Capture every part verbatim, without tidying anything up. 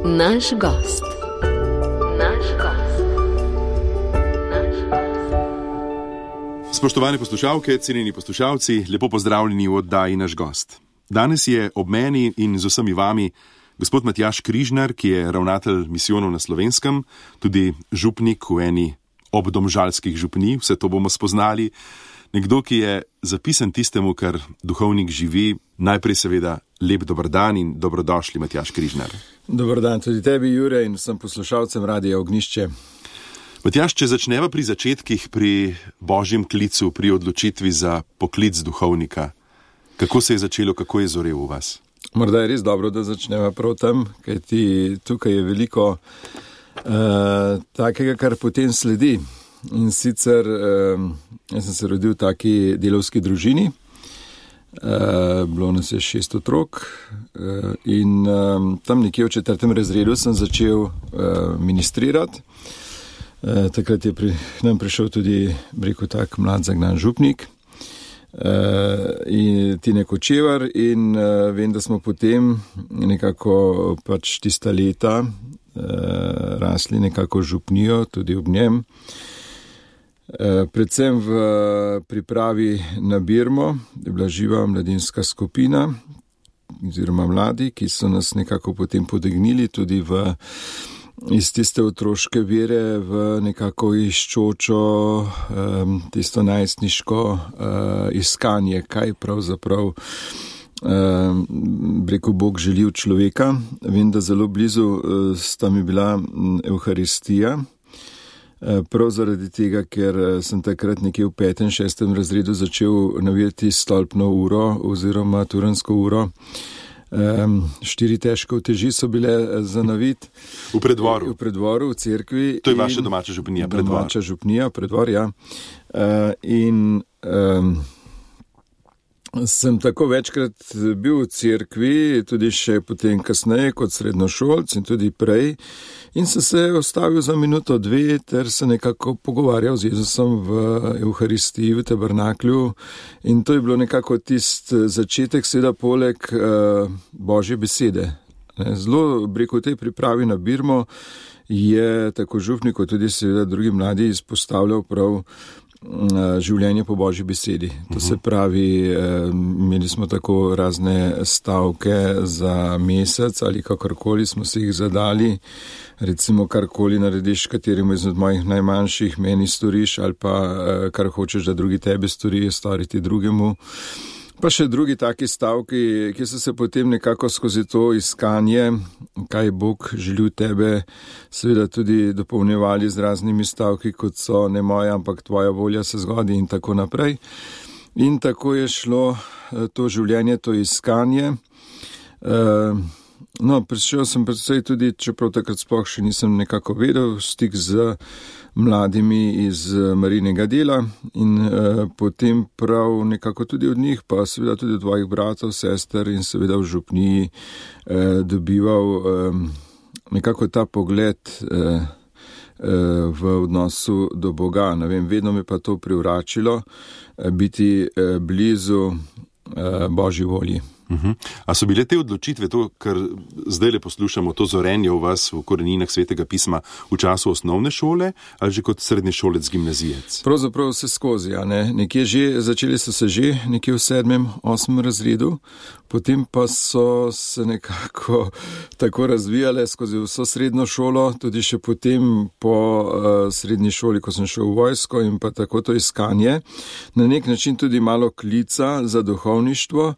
Naš gost. Naš gost. Naš gost. Spoštovane poslušalke, cenjeni poslušalci, lepo pozdravljeni v oddaji Naš gost. Danes je ob meni in z vsemi vami gospod Matjaž Križnar, ki je ravnatelj misijonov na Slovenskem, tudi župnik v eni obdomžalskih župnij, vse to bomo spoznali. Nekdo, ki je zapisan tistemu, kar duhovnik živi. Najprej seveda lep dober dan in dobrodošli, Matjaž Križnar. Dobar dan tudi tebi, Jure, in vsem poslušalcem Radia Ognjišče. Matjaž, če začneva pri začetkih, pri božjem klicu, pri odločitvi za poklic duhovnika, kako se je začelo, kako je zorel v vas? Morda je res dobro, da začneva prav tam, kajti tukaj je veliko uh, takega, kar potem sledi. In sicer, uh, jaz sem se rodil v taki delavski družini, uh, bilo nas je šest otrok uh, in um, tam nekje v četrtem razredu sem začel uh, ministrirati. Uh, takrat je pri nam prišel tudi, rekel tak, mlad zagnan župnik, uh, in Tine Kočevar, in uh, vem, da smo potem nekako pač tista leta uh, rasli nekako župnijo, tudi ob njem. Predvsem v pripravi na Birmo je bila živa mladinska skupina oziroma mladi, ki so nas nekako potem potegnili tudi v, iz tiste otroške vere v nekako iščočo, um, tisto najstniško uh, iskanje, kaj pravzaprav um, rekel Bog želi od človeka. Vem, da zelo blizu uh, sta mi bila Evharistija. Prav zaradi tega, ker sem takrat nekje v petem, šestem razredu začel navijati stolpno uro oziroma turansko uro. Um, štiri težke uteži so bile za navit. V predvoru. V predvoru, v cerkvi. To je vaša domača župnija, predvor. Domača župnija, predvor, ja. Uh, in um, sem tako večkrat bil v cerkvi, tudi še potem kasneje kot srednjošolc in tudi prej. In sem se ostavil za minuto, dve, ter se nekako pogovarjal z Jezusom v Evharistiji, v tabernaklju. In to je bilo nekako tist začetek, seveda poleg uh, Božje besede. Zelo, rekel, v tej pripravi na Birmo je tako župnik, kot tudi seveda drugi mladi izpostavljal prav življenje po Božji besedi. To se pravi, imeli smo tako razne stavke za mesec ali kakorkoli smo se jih zadali, recimo karkoli narediš kateremu izmed mojih najmanjših, meni storiš, ali pa kar hočeš, da drugi tebe stori, storiti drugemu. Pa še drugi taki stavki, ki so se potem nekako skozi to iskanje, kaj Bog želi v tebe, seveda tudi dopolnjevali z raznimi stavki, kot so ne moja, ampak tvoja volja se zgodi in tako naprej. In tako je šlo to življenje, to iskanje. No, prišel sem predvsej tudi, čeprav takrat sploh še nisem nekako vedel, stik z mladimi iz Marijinega dela in eh, potem prav nekako tudi od njih, pa seveda tudi od tvojih bratov, sester in seveda v župniji eh, dobival eh, nekako ta pogled eh, eh, v odnosu do Boga. Ne vem, vedno me pa to privračilo eh, biti eh, blizu eh, Božji volji. Uh-huh. A so bile te odločitve, to, kar zdaj le poslušamo, to zorenje v vas v koreninah Svetega pisma v času osnovne šole ali že kot srednješolec, gimnazijec? Pravzaprav vse skozi, ja, ne. Nekje že, začeli so se že nekje v sedmem, osmem razredu, potem pa so se nekako tako razvijale skozi vso srednjo šolo, tudi še potem po uh, srednji šoli, ko sem šel v vojsko in pa tako to iskanje. Na nek način tudi malo klica za duhovništvo,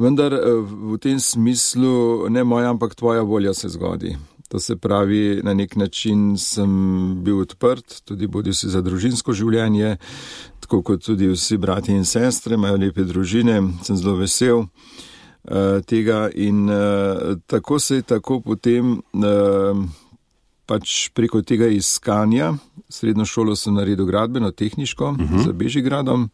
vendar v tem smislu ne moja, ampak tvoja volja se zgodi. To se pravi, na nek način sem bil odprt, tudi bodi si za družinsko življenje, tako kot tudi vsi brati in sestre, imajo lepe družine, sem zelo vesel uh, tega in uh, tako se je tako potem uh, pač preko tega iskanja, srednjo šolo sem naredil gradbeno, tehniško, uh-huh. za Bežigradom.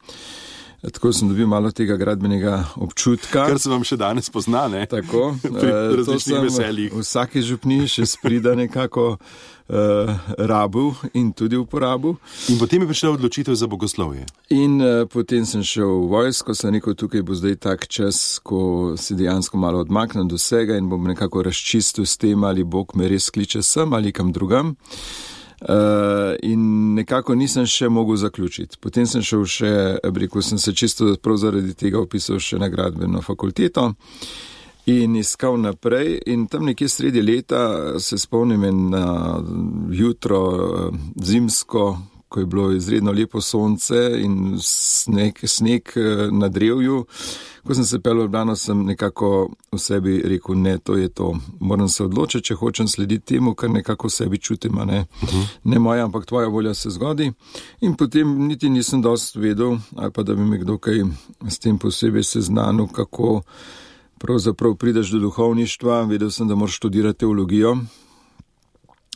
Tako sem dobil malo tega gradbenega občutka. Kar se vam še danes pozna, ne? Tako. Pri različnih veseljih. V vsaki župni še sprida nekako uh, rabu in tudi uporabu. In potem je prišla odločitev za bogoslovje. In uh, potem sem šel v vojsko, sem rekel, tukaj bo zdaj tak čas, ko si dejansko malo odmaknem do vsega in bom nekako razčistil s tem, ali Bog me res kliče sem ali kam drugam. Uh, in nekako nisem še mogel zaključiti. Potem sem šel še, rekel sem se čisto prav zaradi tega opisal še na gradbeno fakulteto in iskal naprej in tam nekje sredi leta se spomnim na jutro zimsko, ko je bilo izredno lepo sonce in sneg, sneg na drevju. Ko sem se pel v Ljubljano, sem nekako v sebi rekel, ne, to je to. Moram se odločiti, če hočem slediti temu, kar nekako v sebi čutim, a ne. Uh-huh. Ne moja, ampak tvoja volja se zgodi. In potem niti nisem dost vedel, ali pa da bi me kdo kaj s tem posebej seznanil, kako pravzaprav prideš do duhovništva. Vedel sem, da moraš študirati teologijo.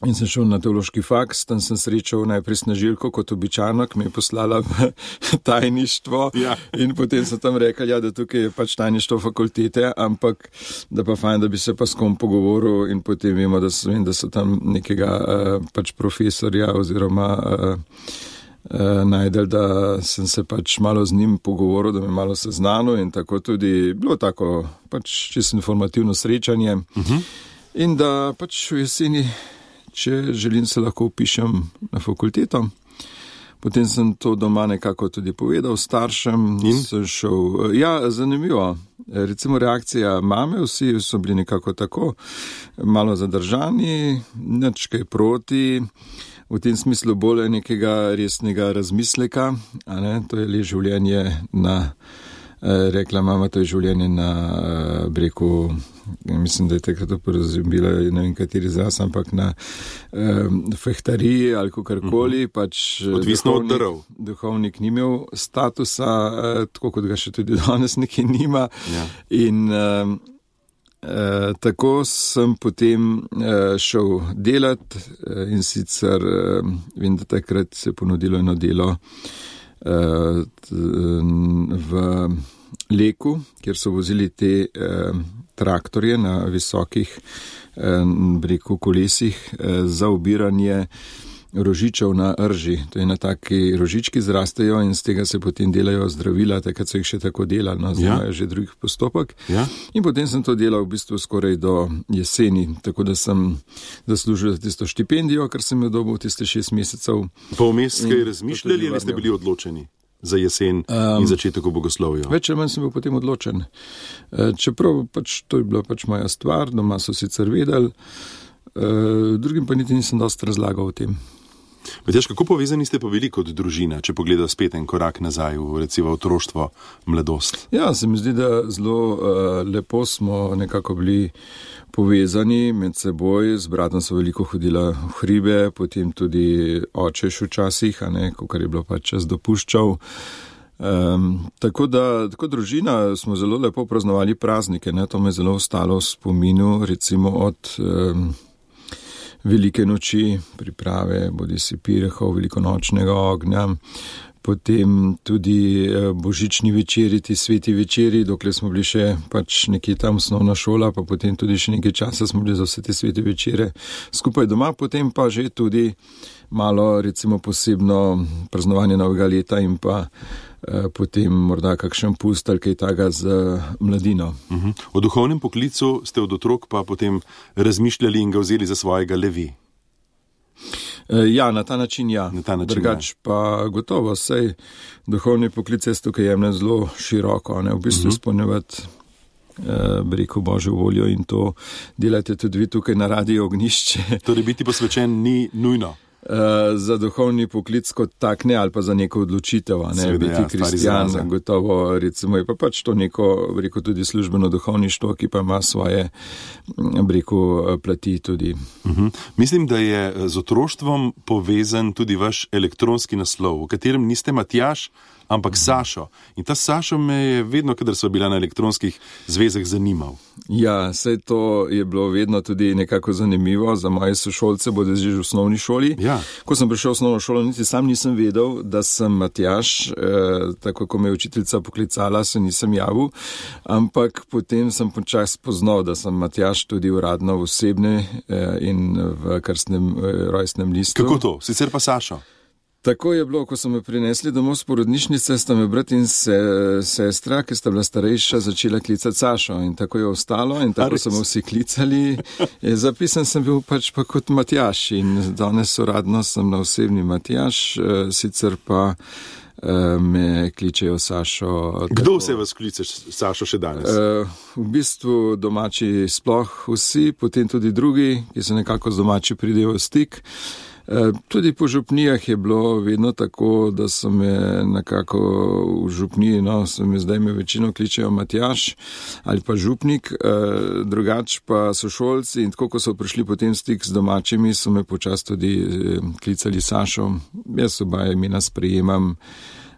In sem šel na teološki faks, tam sem srečal najprej Snežilko kot običajno, ki me je poslala v tajništvo. Ja. In potem so tam rekli, ja, da tukaj je pač tajništvo fakultete, ampak da pa fajn, da bi se pa s kom pogovoril in potem vemo, da so, vem, da so tam nekega uh, pač profesorja oziroma uh, uh, najdel, da sem se pač malo z njim pogovoril, da me malo seznanil in tako tudi bilo tako pač čisto informativno srečanje. Uh-huh. In da pač v jeseni, če želim, se lahko upišem na fakulteto. Potem sem to doma nekako tudi povedal staršem. In? Sem šel, ja, zanimivo. Recimo reakcija mame, vsi so bili nekako tako, malo zadržani, nič kaj proti, v tem smislu bolj nekega resnega razmisleka, a ne, to je le življenje na, rekla mama, to je življenje na breku. Mislim, da je takrat uporabila, ne vem kateri izraz, ampak na um, fehtariji ali kakorkoli. Uh-huh. Pač odvisno od darov. Duhovnik ni imel statusa, uh, tako kot ga še tudi danes nekaj nima. Ja. In um, uh, tako sem potem uh, šel delat uh, in sicer uh, vem, da takrat se je ponudilo eno delo uh, t, v Leku, kjer so vozili te uh, traktorje na visokih breku kolesih za ubiranje rožičev na rži. To je na taki rožički zrastejo in z tega se potem delajo zdravila, takrat so jih še tako delali, no, zdaj imajo ja. že drugih postopek. Ja. In potem sem to delal v bistvu skoraj do jeseni, tako da sem zaslužil tisto štipendijo, kar sem jo dobil tiste šest mesecev. Pa vmes kaj razmišljali ali ste bili odločeni za jesen um, in začetek v bogoslovju? Več ali manj sem bil potem odločen. Čeprav pač to je bila pač moja stvar, doma so sicer vedeli, drugim pa niti nisem dosti razlagal o tem. Matjaž, kako povezani ste pa bili kot družina, če pogleda spet en korak nazaj v recimo otroštvo, mladost? Ja, se mi zdi, da zelo uh, lepo smo nekako bili povezani med seboj, z bratom so veliko hodila v hribe, potem tudi oče še včasih, a ne, kakor je bilo pač čas dopuščal. Um, tako da, tako družina smo zelo lepo praznovali praznike, ne, to me zelo ostalo v spominu, recimo od um, velike noči, priprave, bodi si pirehov, velikonočnega ognja, potem tudi božični večeri, ti sveti večeri, dokler smo bili še pač nekje tam osnovna šola, pa potem tudi še nekaj časa smo bili za vse te sveti večere skupaj doma, potem pa že tudi malo recimo posebno praznovanje novega leta in pa eh, potem morda kakšen pust ali kaj taga z mladino. Uh-huh. O duhovnem poklicu ste od otrok pa potem razmišljali in ga vzeli za svojega levi. Ja, na ta način ja. Na ta način, Drugač ja. pa gotovo, sej duhovni poklic je tukaj jemne zelo široko, ne, v bistvu uh-huh. izpolnjevati eh, breko Božjo voljo in to delate tudi vi tukaj na Radio Ognjišče. Torej biti posvečen ni nujno. Uh, za duhovni poklic kot tak ne, ali pa za neko odločitev, ne, Sveda, biti ja, kristjan, gotovo, recimo je pa pač to neko, rekel, tudi službeno duhovništvo, ki pa ima svoje, rekel, plati tudi. Uh-huh. Mislim, da je z otroštvom povezan tudi vaš elektronski naslov, v katerem niste Matjaž, ampak Sašo. In ta Sašo me je vedno, kadar sva bila na elektronskih zvezah, zanimal. Ja, saj to je bilo vedno tudi nekako zanimivo za moje sošolce, bodo že v osnovni šoli. Ja. Ko sem prišel v osnovno šolo, niti sam nisem vedel, da sem Matjaž, eh, tako ko me je učiteljica poklicala, se nisem javil, ampak potem sem počas spoznal, da sem Matjaž tudi uradno v osebni eh, in v krstnem eh, rojstnem listu. Kako to? Sicer pa Sašo? Tako je bilo, ko so me prinesli domov z porodnišnice, sta me brat in se, sestra, ki sta bila starejša, začela klicati Sašo in tako je ostalo in tako so me vsi klicali. Zapisan sem bil pač pa kot Matjaž in danes uradno sem na osebni Matjaž, sicer pa me kličejo Sašo. Kdo se vas kliče Sašo še danes? V bistvu domači sploh vsi, potem tudi drugi, ki se nekako z domači pridejo v stik. Tudi po župnijah je bilo vedno tako, da so me nekako v župniji, no, so me zdaj me večino kličejo Matjaž ali pa župnik, drugač pa sošolci in tako, ko so prišli potem stik z domačimi, so me počas tudi klicali Sašo. Jaz oba imena sprejemam,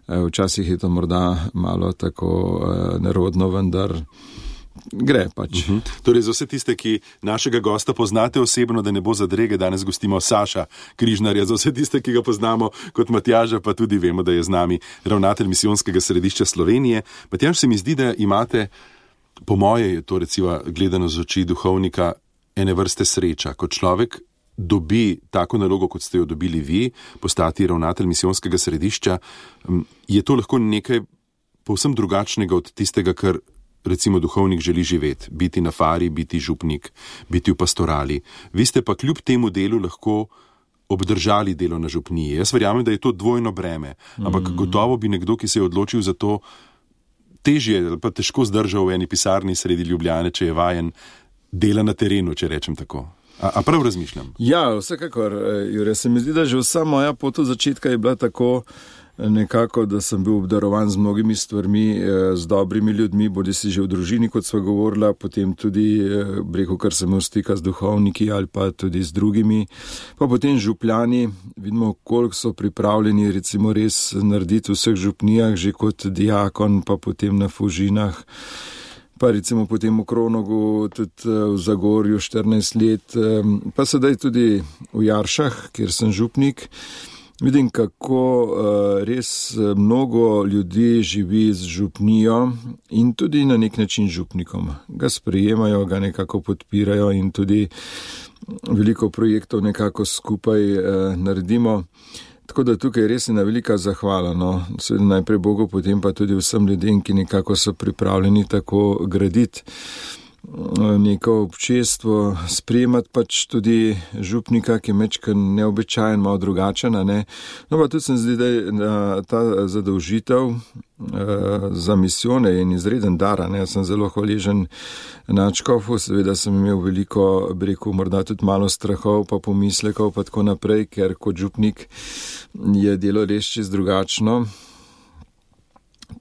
včasih je to morda malo tako nerodno, vendar gre pač. Uh-huh. Torej, za vse tiste, ki našega gosta poznate osebno, da ne bo zadrege, danes gostimo Saša Križnarja, za vse tiste, ki ga poznamo kot Matjaža, pa tudi vemo, da je z nami ravnatelj Misijonskega središča Slovenije. Matjaž, se mi zdi, da imate, po moje je to recimo gledano z oči duhovnika, ene vrste sreča, kot človek dobi tako nalogo, kot ste jo dobili vi, postati ravnatelj Misijonskega središča, je to lahko nekaj povsem drugačnega od tistega, kar recimo duhovnik želi živeti, biti na fari, biti župnik, biti v pastorali. Vi ste pa kljub temu delu lahko obdržali delo na župniji. Jaz verjamem, da je to dvojno breme, ampak mm. gotovo bi nekdo, ki se je odločil za to, težje ali pa težko zdržal v eni pisarni sredi Ljubljane, če je vajen dela na terenu, če rečem tako. A, a prav razmišljam? Ja, vsekakor, Jure, se mi zdi, da že vsa moja pot od začetka je bila tako nekako, da sem bil obdarovan z mnogimi stvarmi, z dobrimi ljudmi, bodi si že v družini, kot sva govorila, potem tudi, breko, kar sem imel stika z duhovniki ali pa tudi z drugimi, pa potem župljani, vidimo, koliko so pripravljeni recimo res narediti v vseh župnijah, že kot diakon, pa potem na Fužinah, pa recimo potem v Kronogu, tudi v Zagorju štirinajst let, pa sedaj tudi v Jaršah, kjer sem župnik. Vidim, kako uh, res mnogo ljudi živi z župnijo in tudi na nek način župnikom. Ga sprejemajo, ga nekako podpirajo in tudi veliko projektov nekako skupaj uh, naredimo. Tako da tukaj res je ena velika zahvala. No. Seveda najprej Bogu, potem pa tudi vsem ljudem, ki nekako so pripravljeni tako graditi neko občestvo, sprejemati pač tudi župnika, ki je mečkan neobičajen, malo drugačen, ne. No pa tudi sem zdi, da je ta zadolžitev uh, za misijone in izreden dar, ne. Jaz sem zelo hvaležen nadškofu, seveda sem imel veliko, bi rekel, morda tudi malo strahov, pa pomislekov, pa tako naprej, ker kot župnik je delo res čist drugačno.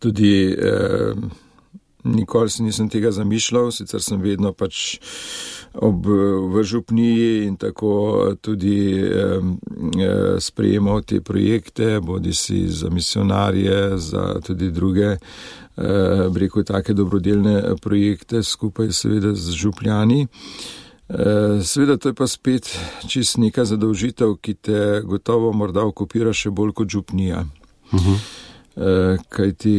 Tudi eh, nikoli si nisem tega zamišljal, sicer sem vedno pač ob, v župniji in tako tudi eh, sprejemal te projekte, bodi si za misionarje, za tudi druge, eh, breko take dobrodelne projekte skupaj seveda z župljani. Eh, seveda to je pa spet čist neka zadolžitev, ki te gotovo morda okupira še bolj kot župnija. Uh-huh. Eh, kajti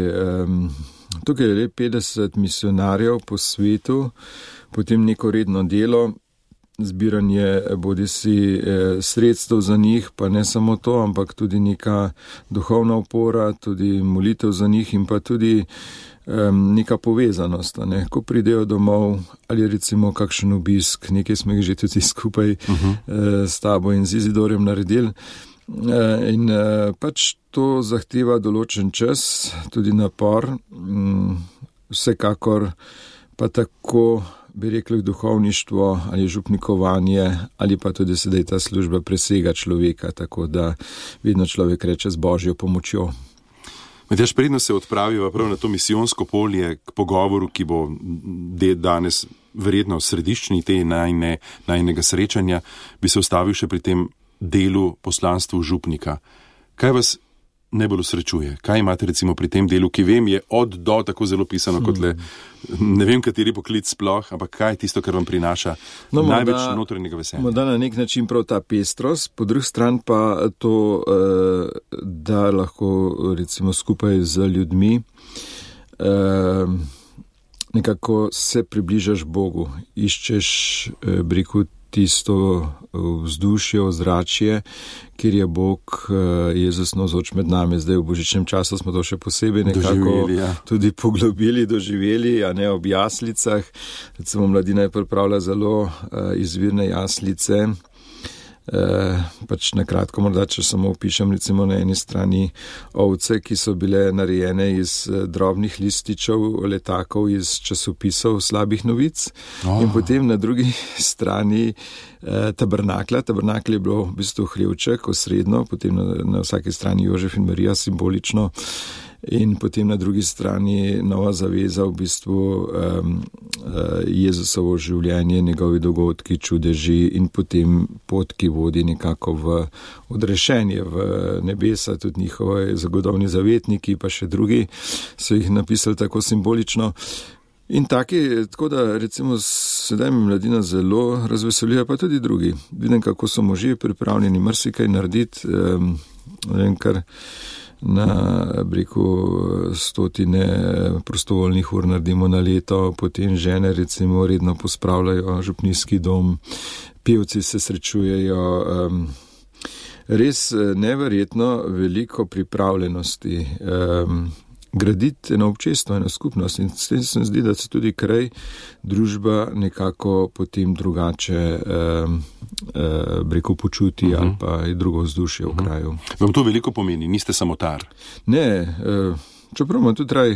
eh, tukaj je le petdeset misionarjev po svetu, potem neko redno delo, zbiranje bodi si eh, sredstev za njih, pa ne samo to, ampak tudi neka duhovna opora, tudi molitev za njih in pa tudi eh, neka povezanost. Ne? Ko pridejo domov ali recimo kakšen obisk, nekaj smo jih že tudi skupaj uh-huh. eh, s tabo in z Izidorjem naredili. In pač to zahteva določen čas, tudi napor, vsekakor pa tako bi rekli duhovništvo ali župnikovanje ali pa tudi sedaj ta služba presega človeka, tako da vedno človek reče z Božjo pomočjo. Matjaž, predno se odpraviva prav na to misijonsko polje k pogovoru, ki bo danes verjetno središčni te najne, najnega srečanja, bi se ustavil še pri tem delu poslanstvu župnika. Kaj vas najbolj usrečuje? Kaj imate recimo pri tem delu, ki vem, je od do tako zelo pisano, kot le, ne vem, kateri poklic sploh, ampak kaj je tisto, kar vam prinaša no, največ morda, notranjega veselja? Morda na nek način prav ta pestrost, po drugi strani pa to, da lahko recimo skupaj z ljudmi nekako se približaš Bogu, iščeš briku tisto vzdušje, ozračje, kjer je Bog, Jezus navzoč med nami. Zdaj v božičnem času smo to še posebej nekako ja. tudi poglobili, doživeli, a ne ob jaslicah. Recimo mladina je pripravila zelo izvirne jaslice. Uh, pač na kratko morda, če samo opišem, recimo na eni strani ovce, ki so bile narejene iz uh, drobnih lističev, letakov iz časopisov slabih novic oh. in potem na drugi strani uh, tabernakla. Tabernakl je bilo v bistvu hlevček osrednjo, potem na, na vsaki strani Jožef in Marija simbolično in potem na drugi strani nova zaveza, v bistvu um, uh, Jezusovo življenje, njegovi dogodki, čudeži in potem pot, ki vodi nekako v odrešenje, v nebesa, tudi njihovi zagodovni zavetniki, pa še drugi so jih napisali tako simbolično. In taki, tako da recimo sedaj mi mladina zelo razveselja, pa tudi drugi. Vidim, kako so možje pripravljeni marsikaj narediti, um, vem, kar na breku stotine prostovoljnih ur naredimo na leto, potem žene recimo redno pospravljajo župnijski dom, pevci se srečujejo, um, res neverjetno veliko pripravljenosti um, graditi eno občestvo, eno skupnost in s tem se zdi, da se tudi kraj, družba nekako potem drugače um, uh, breko počuti uh-huh. ali pa je drugo vzdušje uh-huh. v kraju. Vam to veliko pomeni, niste samotar? Ne, uh, čeprav imam tudi raj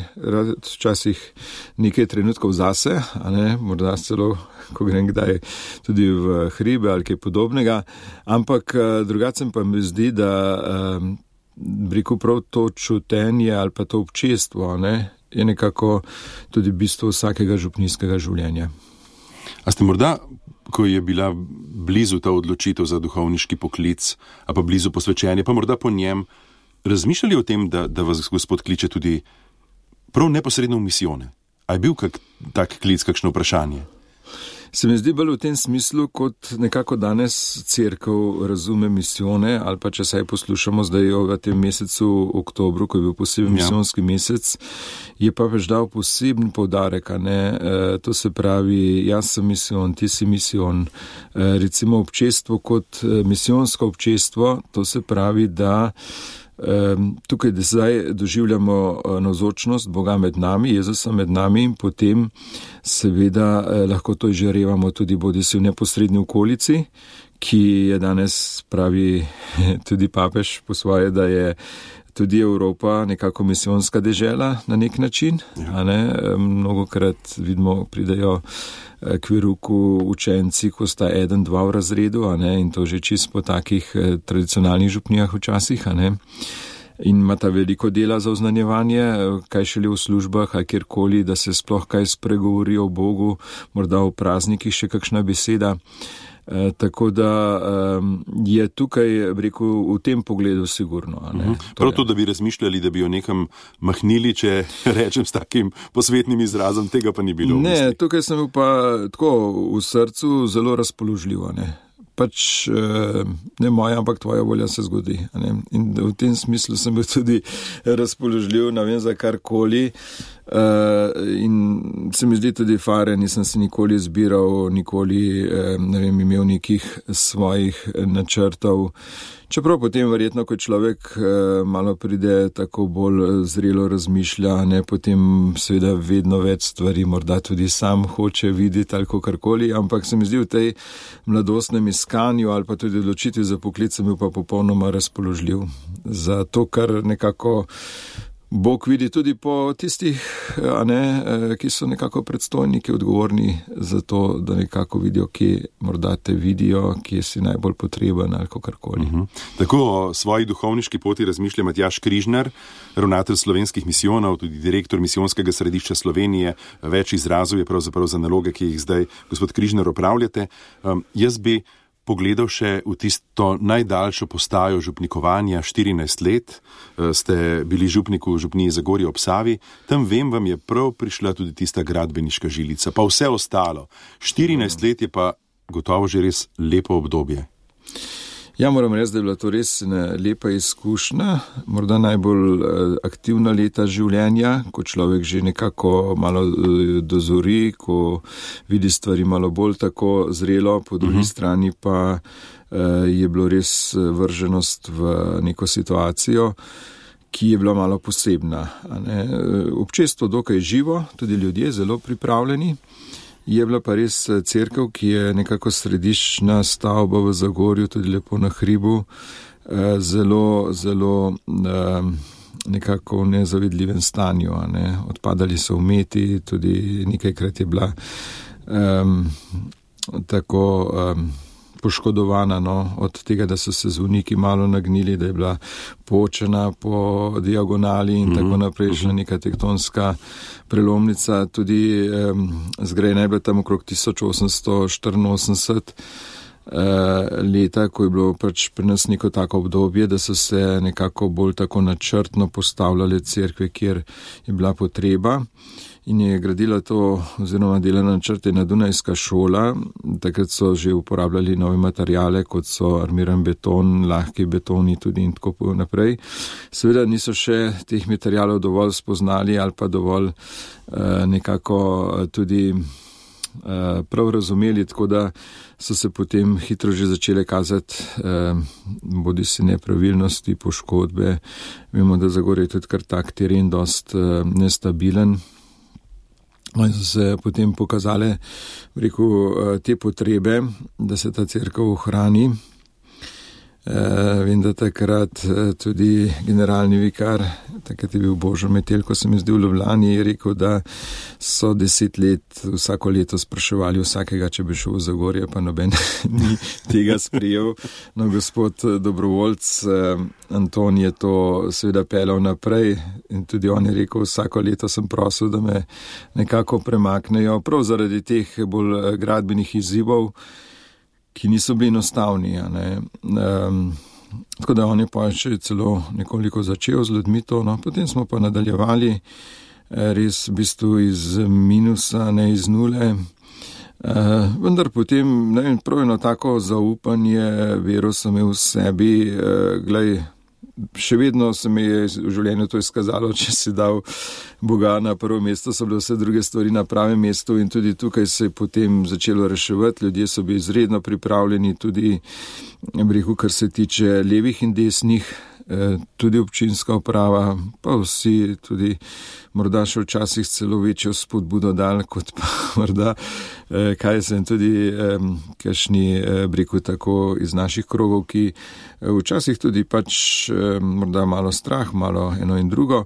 včasih nekaj trenutkov zase, a ne, morda celo, ko grem kdaj tudi v hribe ali kaj podobnega, ampak uh, drugače pa mi zdi, da um, Briku prav to čutenje ali pa to občestvo, ne, je nekako tudi bistvo vsakega župnijskega življenja. A ste morda, ko je bila blizu ta odločitev za duhovniški poklic, a pa blizu posvečenja, pa morda po njem, razmišljali o tem, da, da vas Gospod kliče tudi prav neposredno v misijone? A je bil kak tak klic, kakšno vprašanje? Se mi zdi bolj v tem smislu, kot nekako danes cerkev razume misijone, ali pa če saj poslušamo zdaj v tem mesecu oktobru, ko je bil poseben ja. misijonski mesec, je pa več dal poseben poudarek, a ne, e, to se pravi, jaz sem misijon, ti si misijon, e, recimo občestvo kot misijonsko občestvo, to se pravi, da tukaj zdaj doživljamo navzočnost Boga med nami, Jezusa med nami in potem seveda lahko to izžarevamo tudi bodisi v neposredni okolici, ki je danes, pravi tudi papež po svoje, da je tudi Evropa nekako misijonska dežela na nek način. Ja. A ne? Mnogokrat vidimo, pridajo k veruku učenci, ko sta eden, dva v razredu, a ne, in to že čist po takih tradicionalnih župnijah včasih, a ne, in imata veliko dela za oznanjevanje, kaj šele v službah, a kjerkoli, da se sploh kaj spregovori o Bogu, morda v praznikih še kakšna beseda. E, tako da um, je tukaj, rekel, v tem pogledu sigurno. A ne? Uh-huh. Prav to, da bi razmišljali, da bi jo nekam mahnili, če rečem s takim posvetnim izrazom, tega pa ni bilo. Ne, tukaj sem bil pa tako v srcu zelo razpoložljiv, ne. Pač ne moja, ampak tvoja volja se zgodi. Ne? In v tem smislu sem bil tudi razpoložljiv, ne vem za karkoli. In se mi zdi tudi fare, nisem se nikoli zbiral, nikoli ne vem, imel nekih svojih načrtov. Čeprav potem verjetno, ko človek malo pride tako bolj zrelo razmišlja, ne, potem seveda vedno več stvari morda tudi sam hoče videti ali kakorkoli, ampak se mi zdi v tej mladostnem iskanju ali pa tudi odločitvi za poklic sem bil pa popolnoma razpoložljiv za to, kar nekako Bog vidi tudi po tistih, a ne, ki so nekako predstojniki odgovorni za to, da nekako vidijo, kje morda te vidijo, kje si najbolj potreben ali kakorkoli. Uh-huh. Tako o svoji duhovniški poti razmišlja Matjaž Križnar, ravnatelj slovenskih misijonov, tudi direktor misijonskega središča Slovenije. Več izrazov je pravzaprav za naloge, ki jih zdaj, gospod Križnar, opravljate. Um, jaz bi pogledal še v tisto najdaljšo postajo župnikovanja, štirinajst let ste bili župnik v župniji Zagorje ob Savi, tam vem, vam je prav prišla tudi tista gradbeniška žilica, pa vse ostalo. štirinajst let je pa gotovo že res lepo obdobje. Ja, moram reči, da je bila to res lepa izkušnja, morda najbolj aktivna leta življenja, ko človek že nekako malo dozori, ko vidi stvari malo bolj tako zrelo, po drugi uh-huh. strani pa je bilo res vrženost v neko situacijo, ki je bila malo posebna. Občestvo dokaj živo, tudi ljudje zelo pripravljeni. Je bila pa res cerkev, ki je nekako središčna stavba v Zagorju, tudi lepo na hribu, zelo, zelo nekako v nezavidljivem stanju. Ne. Odpadali so umeti, tudi nekajkrat je bila um, tako um, poškodovana no, od tega, da so se zvoniki malo nagnili, da je bila počena po diagonali in mm-hmm. tako naprej, že neka tektonska prelomnica. Tudi um, zgrajena je bila tam okrog tisoč osemsto štiriinosemdeset uh, leta, ko je bilo pač pri nas neko tako obdobje, da so se nekako bolj tako načrtno postavljale cerkve, kjer je bila potreba. In je gradila to oziroma delala načrte na Dunajska šola. Takrat so že uporabljali nove materijale, kot so armiran beton, lahki betoni tudi in tako naprej. Seveda niso še teh materijalov dovolj spoznali ali pa dovolj eh, nekako tudi eh, prav razumeli, tako da so se potem hitro že začele kazati eh, bodi si nepravilnosti, poškodbe. Vemo, da Zagorje je tudi kar tak teren dost eh, nestabilen. In so se potem pokazale, rekel, te potrebe, da se ta cerkev ohrani. Vem, da takrat tudi generalni vikar, takrat je bil Božo Metelj, ko se mi zdi v Ljubljani, je rekel, da so deset let vsako leto spraševali vsakega, če bi šel v Zagorje, pa noben ni tega sprijel. No, gospod dobrovoljc Anton je to seveda pelal naprej in tudi on je rekel, vsako leto sem prosil, da me nekako premaknejo, prav zaradi teh bolj gradbenih izzivov, ki niso bili enostavni. Um, tako da on je pa še celo nekoliko začel z ljudmi to, no, potem smo pa nadaljevali res v bistvu iz minusa, ne iz nule. Uh, vendar potem, ne vem, prav eno tako zaupanje, vero sem imel v sebi, uh, glej, še vedno se mi je v življenju to izkazalo, če si dal Boga na prvo mesto, so bile vse druge stvari na pravem mestu in tudi tukaj se je potem začelo reševati. Ljudje so bili izredno pripravljeni, tudi brehu, kar se tiče levih in desnih, tudi občinska uprava, pa vsi tudi morda še včasih celo večjo spodbudo dal, kot pa morda, kaj sem tudi kakšni brehu tako iz naših krogov, ki včasih tudi pač morda malo strah, malo eno in drugo,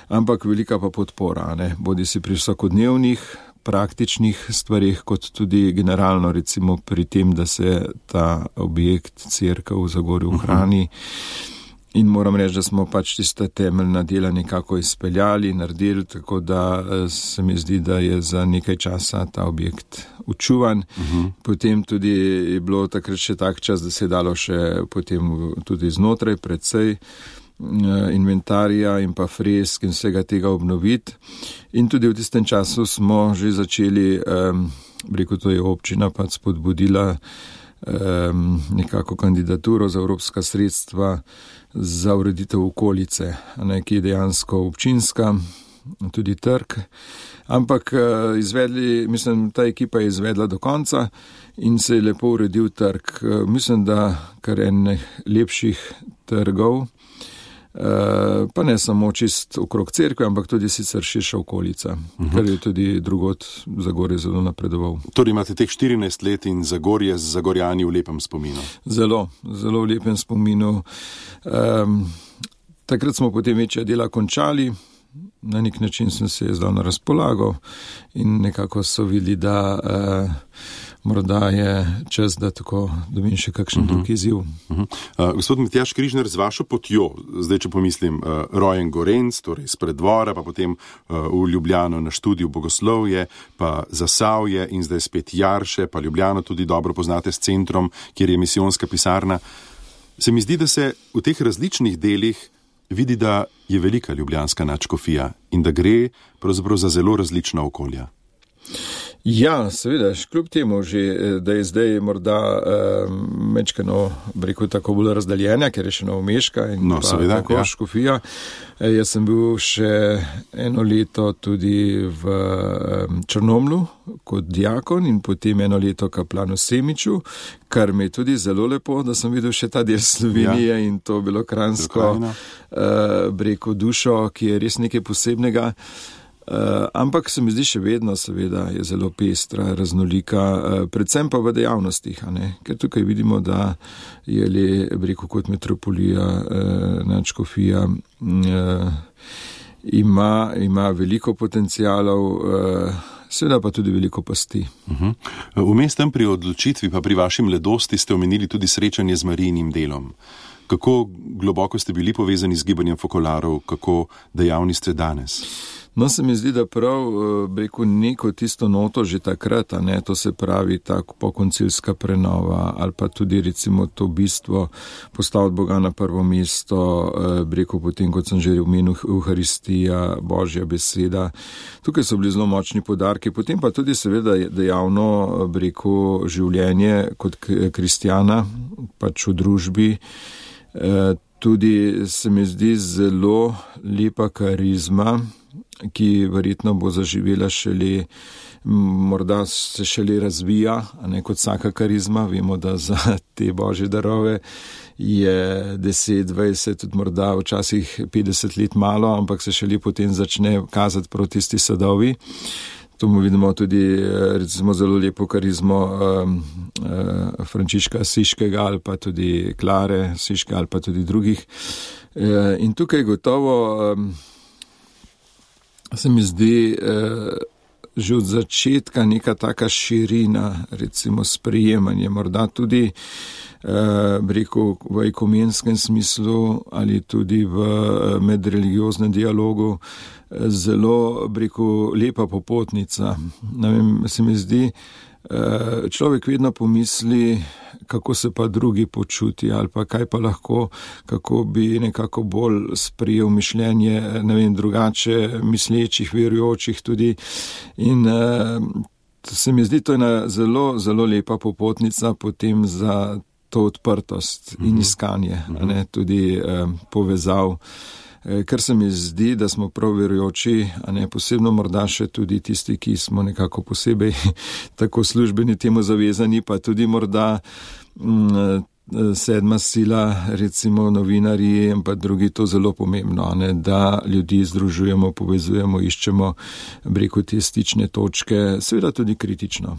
ampak velika pa podpora, ne, bodi si pri vsakodnevnih praktičnih stvarih, kot tudi generalno recimo pri tem, da se ta objekt cerkev v Zagorju ohrani. In moram reči, da smo pač tista temeljna dela nekako izpeljali, naredili, tako da se mi zdi, da je za nekaj časa ta objekt učuvan. Uh-huh. Potem tudi je bilo takrat še tak čas, da se je dalo še potem tudi znotraj predvsej inventarija in pa fresk in vsega tega obnoviti. In tudi v tistem času smo že začeli, um, rekel, to je občina pa spodbudila um, nekako kandidaturo za evropska sredstva za ureditev okolice, ne, ki je dejansko občinska, tudi trg. Ampak izvedli, mislim, ta ekipa je izvedla do konca in se je lepo uredil trg. Mislim, da kar enih lepših trgov, pa ne samo čist okrog cerkve, ampak tudi sicer širša okolica, uh-huh. kar je tudi drugod Zagorje zelo napredoval. Torej imate teh štirinajst let in Zagorje z Zagorjani v lepem spominu? Zelo, zelo v lepem spominu. Um, takrat smo potem večja dela končali, na nek način sem se zdal na razpolago in nekako so videli, da uh, morda je čas, da tako dobim še kakšen uh-huh. drugi izziv. Uh-huh. Uh, gospod Matjaž Križnar, z vašo potjo, zdaj če pomislim, uh, rojen Gorenc, torej iz Preddvora, pa potem uh, v Ljubljano na študiju bogoslovje, pa Zasavje in zdaj spet Jarše, pa Ljubljano tudi dobro poznate s centrom, kjer je misijonska pisarna. Se mi zdi, da se v teh različnih delih vidi, da je velika ljubljanska nadškofija in da gre pravzaprav za zelo različna okolja. Ja, seveda, kljub temu že, da je zdaj morda eh, mečkano, rekel, tako bolj razdaljena, ker je še Novomeška in no, pa seveda, tako ja. škofija. E, jaz sem bil še eno leto tudi v eh, Črnomlju kot diakon in potem eno leto kaplan v Semiču, kar mi je tudi zelo lepo, da sem videl še ta del Slovenije ja. In to bilo kranjsko, eh, rekel, dušo, ki je res nekaj posebnega. Uh, ampak se mi zdi še vedno, seveda, je zelo pestra, raznolika, uh, predvsem pa v dejavnostih, a ne? Ker tukaj vidimo, da je le, rekel, kot metropolija, uh, nadškofija, uh, ima, ima veliko potencialov, uh, seveda pa tudi veliko pasti. Uh-huh. Vmes tam pri odločitvi, pa pri vaši mladosti ste omenili tudi srečanje z Marijinim delom. Kako globoko ste bili povezani z gibanjem fokolarov, kako dejavni ste danes? No, se mi zdi, da prav, rekel, neko tisto noto že takrat, a ne, to se pravi tako pokoncilska prenova ali pa tudi recimo to bistvo postaviti Boga na prvo mesto, rekel, potem, kot sem že omenil, Euharistija, Božja beseda. Tukaj so bili zelo močni poudarki, potem pa tudi seveda dejavno, rekel, življenje kot kristjana, pač v družbi. Tudi se mi zdi zelo lepa karizma, ki verjetno bo zaživela šele, morda se šele razvija, a ne kot vsaka karizma. Vemo, da za te božje darove je deset, dvajset, tudi morda včasih petdeset let malo, ampak se šele potem začne kazati proti tisti sadovi. To mu vidimo tudi recimo zelo lepo karizmo um, uh, Frančiška Siškega ali pa tudi Klare Siške ali pa tudi drugih. Uh, in tukaj gotovo um, se mi zdi uh, že od začetka neka taka širina, recimo sprejemanje, morda tudi uh, rekel, v ekumenskem smislu ali tudi v uh, medreligioznem dialogu zelo, rekel, lepa popotnica. Ne vem, se mi zdi, človek vedno pomisli, kako se pa drugi počuti ali pa kaj pa lahko, kako bi nekako bolj sprejel mišljenje, ne vem, drugače mislečih, verujočih tudi. In se mi zdi, to je ena zelo, zelo lepa popotnica potem za to odprtost in iskanje, uh-huh. ne, tudi povezav. Ker se mi zdi, da smo prav verujoči, a ne posebno morda še tudi tisti, ki smo nekako posebej tako službeni temu zavezani, pa tudi morda m, sedma sila, recimo novinarji in pa drugi, to zelo pomembno, a ne, da ljudi združujemo, povezujemo, iščemo, rekel, te stične točke, seveda tudi kritično.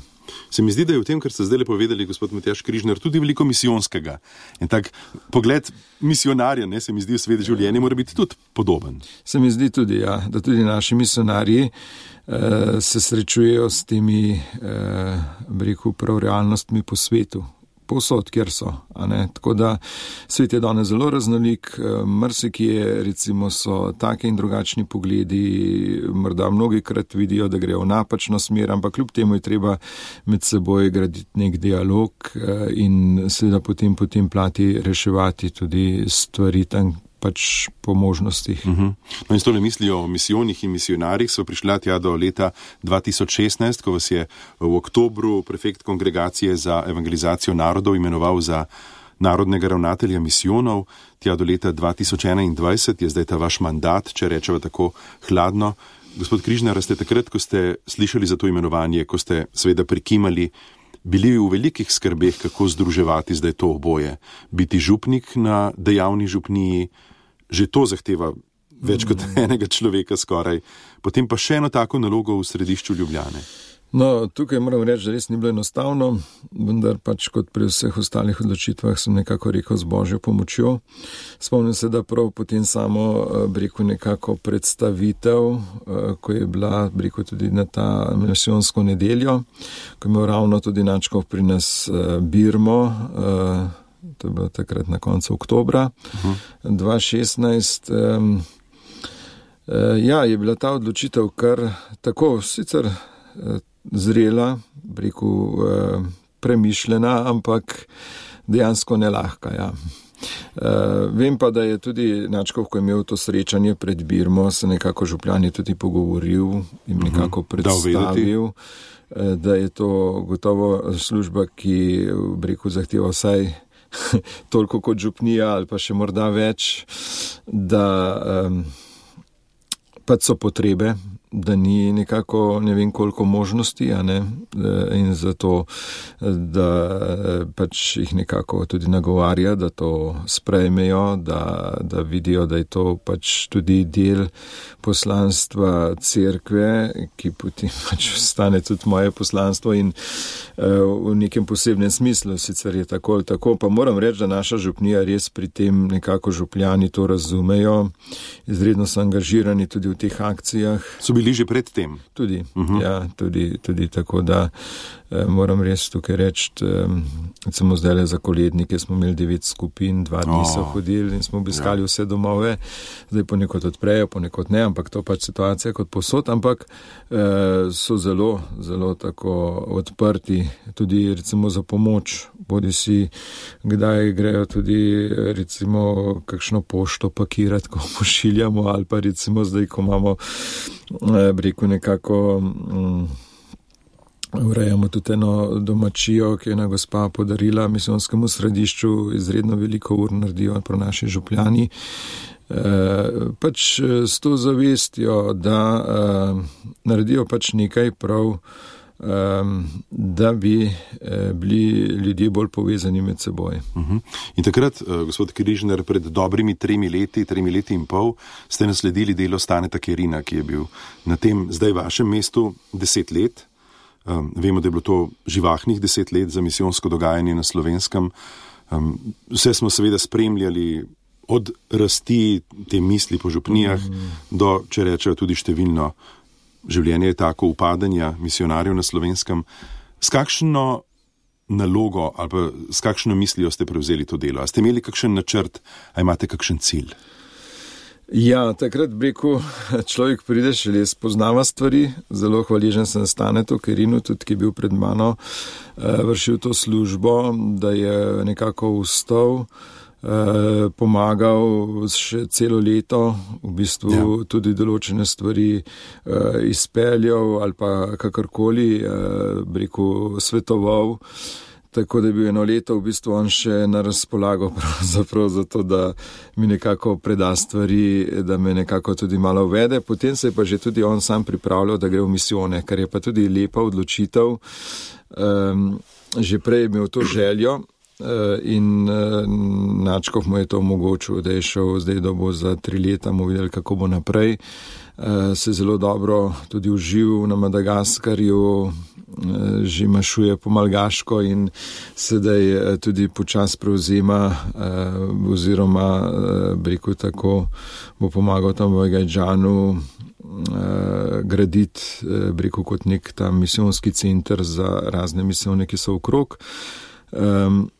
Se mi zdi, da je v tem, kar ste zdaj povedali, gospod Matjaž Križnar, tudi veliko misijonskega. In tak pogled misionarja, ne, se mi zdi, v svet življenja mora biti tudi podoben. Se mi zdi tudi, ja, da tudi naši misionarji eh, se srečujejo s temi, eh, rekel, prav realnostmi po svetu. Povsod, kjer so, a ne, tako da svet je danes zelo raznolik, marsikje recimo so take in drugačni pogledi, morda mnogikrat vidijo, da grejo v napačno smer, ampak kljub temu je treba med seboj graditi nek dialog in seveda potem po tem plati reševati tudi stvari tam, pač po možnostih. Uh-huh. No in s tole mislijo o misijonih in misionarjih so prišla tja do leta dva tisoč šestnajst, ko vas je v oktobru prefekt kongregacije za evangelizacijo narodov imenoval za narodnega ravnatelja misijonov. Tja do leta dva tisoč enaindvajset je zdaj ta vaš mandat, če rečeva tako hladno. Gospod Križnar, ste takrat, ko ste slišali za to imenovanje, ko ste seveda prikimali, bili v velikih skrbeh, kako združevati zdaj to oboje. Biti župnik na dejavni župniji, že to zahteva več kot enega človeka skoraj. Potem pa še eno tako nalogo v središču Ljubljane. No, tukaj moram reči, da res ni bilo enostavno, vendar pač kot pri vseh ostalih odločitvah sem nekako rekel z Božjo pomočjo. Spomnim se, da prav potem samo, bi rekel, nekako predstavitev, ko je bila, bi rekel, tudi na ta misijonsko nedeljo, ko je imel ravno tudi Načkov pri nas birmo, to je bilo takrat na koncu oktobra uh-huh. dva tisoč šestnajst. Ja, je bila ta odločitev kar tako, sicer zrela, rekel, premišljena, ampak dejansko nelahka, ja. Vem pa, da je tudi Načkov, ko je imel to srečanje pred birmo, se nekako župljani tudi pogovoril in nekako predstavil, da je to gotovo služba, ki, rekel, zahteva vsaj toliko kot župnija ali pa še morda več, da um, pač so potrebe, da ni nekako ne vem koliko možnosti, a ne, in zato, da pač jih nekako tudi nagovarja, da to sprejmejo, da, da vidijo, da je to pač tudi del poslanstva cerkve, ki potem pač ostane tudi moje poslanstvo in uh, v nekem posebnem smislu, sicer je tako ali tako, pa moram reči, da naša župnija res pri tem nekako župljani to razumejo, izredno so angažirani tudi v teh akcijah. So bili že pred tem? Tudi, uh-huh. ja, tudi, tudi tako, da eh, moram res tukaj reči, eh, samo zdaj za kolednike smo imeli devet skupin, dva dni oh. so hodili in smo obiskali ja. vse domove, zdaj ponekod odprejo, ponekod ne, ampak to pač situacija kot posod, ampak eh, so zelo, zelo tako odprti, tudi recimo za pomoč, bodi si kdaj grejo tudi recimo kakšno pošto pakirati, ko pošiljamo, ali pa recimo zdaj, ko imamo rekel nekako um, urejamo tudi eno domačijo, ki je ena gospa podarila misijonskemu središču, izredno veliko ur naredijo pro naši župljani. E, pač s to zavestjo, da e, naredijo pač nekaj prav, Um, da bi eh, bili ljudje bolj povezani med seboj. Uh-huh. In takrat, uh, gospod Križnar, pred dobrimi tremi leti, tremi leti in pol, ste nasledili delo Staneta Kerina, ki je bil na tem zdaj vašem mestu deset let. Um, vemo, da je bilo to živahnih deset let za misijonsko dogajanje na Slovenskem. Um, vse smo seveda spremljali od rasti te misli po župnijah uh-huh. do, če rečejo, tudi številno življenje je tako upadanja misionarjev na Slovenskem. S kakšno nalogo ali pa s kakšno mislijo ste prevzeli to delo? A ste imeli kakšen načrt, a imate kakšen cilj? Ja, takrat breku človek pride šele spoznava stvari. Zelo hvaležen sem Stanetu Kerinu, tudi ki je bil pred mano, vršil to službo, da je nekako vstal, pomagal še celo leto, v bistvu ja. tudi določene stvari uh, izpeljal ali pa kakorkoli, uh, rekel, svetoval. Tako da je bil eno leto v bistvu on še na razpolago pravzaprav za to, da mi nekako preda stvari, da me nekako tudi malo uvede. Potem se je pa že tudi on sam pripravljal, da gre v misijone, kar je pa tudi lepa odločitev. Um, že prej je imel to željo. In Načkov mu je to omogočil, da je šel zdaj, da bo za tri leta mu videli, kako bo naprej. Se zelo dobro tudi užil na Madagaskarju, že mašuje po malgaško in sedaj tudi počas prevzema oziroma breku tako bo pomagal tam v Gajdžanu graditi breku kot nek tam misijonski center za razne misijone, ki so okrog. Um,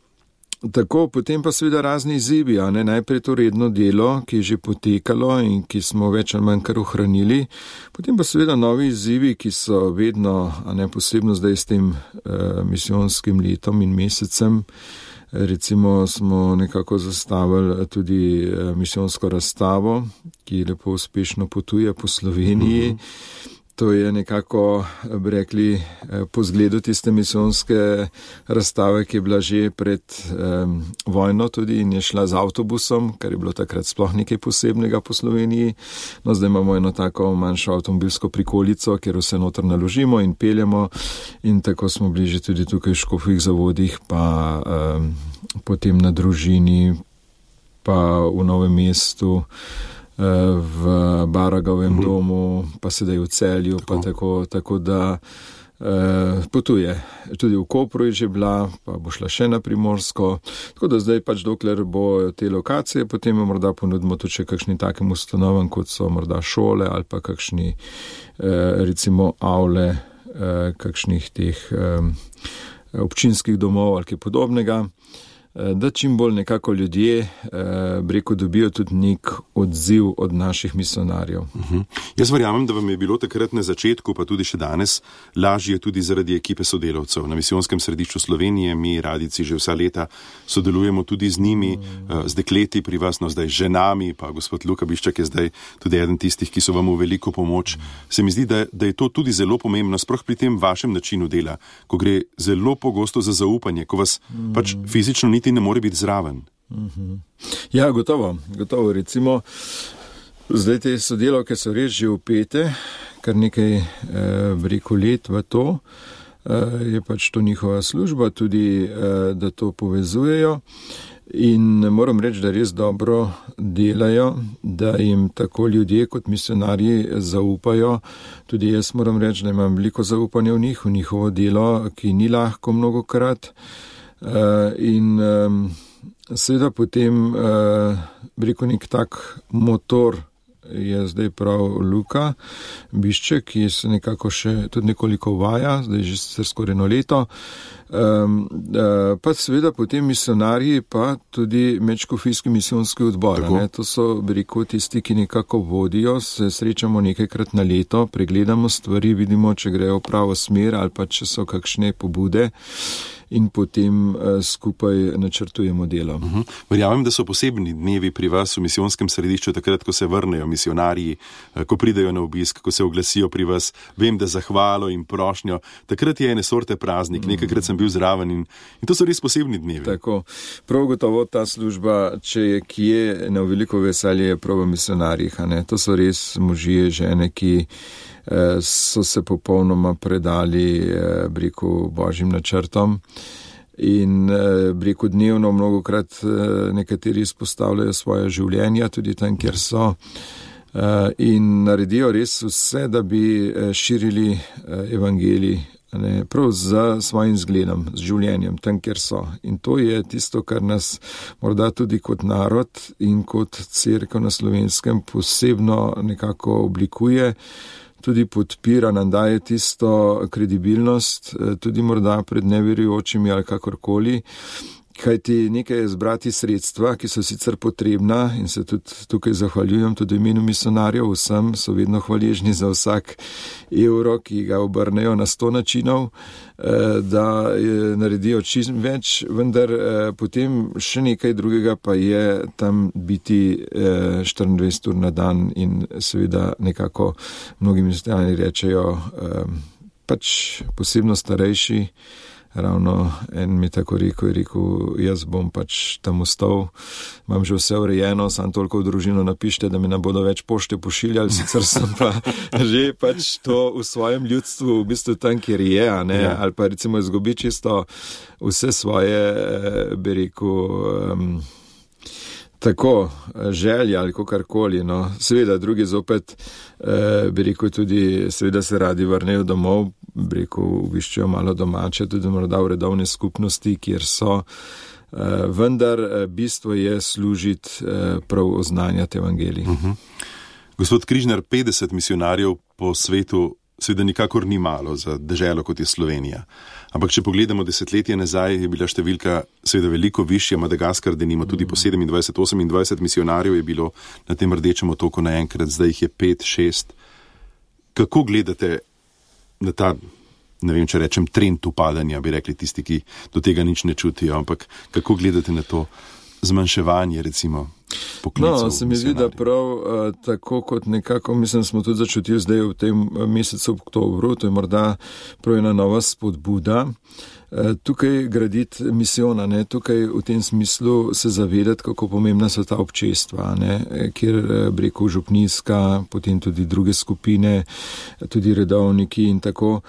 Tako, potem pa seveda razni izzivi, a ne, najprej to redno delo, ki je že potekalo in ki smo več ali manj kar ohranili, potem pa seveda novi izzivi, ki so vedno, a ne posebno zdaj s tem uh, misijonskim letom in mesecem, recimo smo nekako zastavili tudi uh, misijonsko razstavo, ki lepo uspešno potuje po Sloveniji. Mm-hmm. To je nekako, bi rekli, po zgledu tiste misijonske razstave, ki je bila že pred um, vojno tudi in je šla z avtobusom, kar je bilo takrat sploh nekaj posebnega po Sloveniji. No, zdaj imamo eno tako manjšo avtomobilsko prikolico, kjer vse noter naložimo in peljemo in tako smo bili že tudi tukaj v Škofjih Zavodih, pa um, potem na Družini, pa v Novem mestu, v Baragovem mm-hmm. domu, pa sedaj v Celju, pa tako, tako da potuje. Tudi v Kopru je že bila, pa bo šla še na Primorsko. Tako da zdaj pač dokler bo te lokacije, potem jo morda ponudimo tudi še kakšni takim ustanovam, kot so morda šole ali pa kakšni recimo avle kakšnih teh občinskih domov ali kaj podobnega. Da čim bolj nekako ljudje, breko, dobijo tudi nek odziv od naših misionarjev. Uh-huh. Jaz verjamem, da vam je bilo takrat na začetku, pa tudi še danes, lažje tudi zaradi ekipe sodelavcev. Na Misijonskem središču Slovenije mi, radici, že vsa leta sodelujemo tudi z njimi, uh, z dekleti pri vas, no zdaj ženami, pa gospod Luka Biščak je zdaj tudi eden tistih, ki so vam v veliko pomoč. Se mi zdi, da, da je to tudi zelo pomembno, sploh pri tem vašem načinu dela, ko gre zelo pogosto za zaupanje, ko vas uh-huh. pač fizično niti ne more biti zraven. Uh-huh. Ja, gotovo, gotovo. Recimo, zdaj te sodelavke so res že vpete, kar nekaj eh, breko let v to, eh, je pač to njihova služba, tudi eh, da to povezujejo in moram reči, da res dobro delajo, da jim tako ljudje kot misionarji zaupajo. Tudi jaz moram reči, da imam veliko zaupanja v njih, v njihovo delo, ki ni lahko mnogokrat. Uh, in um, seveda potem uh, breko nek tak motor je zdaj prav Luka Bišček, ki se nekako še tudi nekoliko uvaja, zdaj že sicer skoraj eno leto. Um, uh, pa seveda potem misionarji, pa tudi Medškofijski misijonski odbor. Ne? To so breko tisti, ki nekako vodijo, se srečamo nekajkrat na leto, pregledamo stvari, vidimo, če grejo v pravo smer ali pa če so kakšne pobude. In potem uh, skupaj načrtujemo delo. Uh-huh. Verjamem, da so posebni dnevi pri vas v misijonskem središču, takrat, ko se vrnejo misionarji, ko pridejo na obisk, ko se oglasijo pri vas. Vem, da zahvalo in prošnjo. Takrat je ene sorte praznik, nekajkrat sem bil zraven in, in to so res posebni dnevi. Tako. Prav gotovo ta služba, če je kje, na veliko veselje je prav v misionarjih. To so res možje, žene, ki so se popolnoma predali breko božjim načrtom in breko dnevno mnogokrat nekateri izpostavljajo svoje življenja tudi tam, kjer so in naredijo res vse, da bi širili evangelij, ne, prav z svojim zgledom, z življenjem, tam, kjer so. In to je tisto, kar nas morda tudi kot narod in kot cerkev na Slovenskem posebno nekako oblikuje, tudi podpira, nam daje tisto kredibilnost, tudi morda pred neverujočimi ali kakorkoli, kajti nekaj je zbrati sredstva, ki so sicer potrebna in se tudi tukaj zahvaljujem tudi imenu misionarjev, vsem so vedno hvaležni za vsak evro, ki ga obrnejo na sto načinov, da naredijo čim več, vendar potem še nekaj drugega pa je tam biti štiriindvajset ur na dan in seveda nekako mnogi misionarji rečejo, pač posebno starejši. Ravno en mi tako rekel, je rekel, jaz bom pač tam ostal, imam že vse urejeno, sam toliko v družino napište, da mi ne bodo več pošte pošiljali, sicer sem pa že pač to v svojem ljudstvu, v bistvu tam, kjer je, ne, ja. Ali pa recimo izgubi čisto vse svoje, bi rekel, um, tako želja ali kakorkoli, no. Seveda drugi zopet, eh, bi rekel tudi, seveda se radi vrnejo domov, bi rekel, obiščejo malo domače, tudi morda v redovne skupnosti, kjer so, eh, vendar bistvo je služiti eh, prav oznanjati evangelij. Uh-huh. Gospod Križnar, petdeset misionarjev po svetu seveda nikakor ni malo za deželo, kot je Slovenija. Ampak če pogledamo desetletje nazaj, je bila številka seveda veliko višja. Madagaskar, denimo, tudi po sedemindvajset osemindvajset misionarjev je bilo na tem rdečem otoku naenkrat, zdaj jih je pet, šest. Kako gledate na ta, ne vem, če rečem, trend upadanja, bi rekli tisti, ki do tega nič ne čutijo, ampak kako gledate na to zmanjševanje, recimo, poklicov? No, se mi zdi, da prav uh, tako kot nekako, mislim, smo tudi začutili zdaj v tem mesecu oktobru, to je morda prav ena nova spodbuda, uh, tukaj graditi misijona, ne, tukaj v tem smislu se zavedati, kako pomembna so ta občestva, ne, kjer breko župnijska, potem tudi druge skupine, tudi redovniki in tako.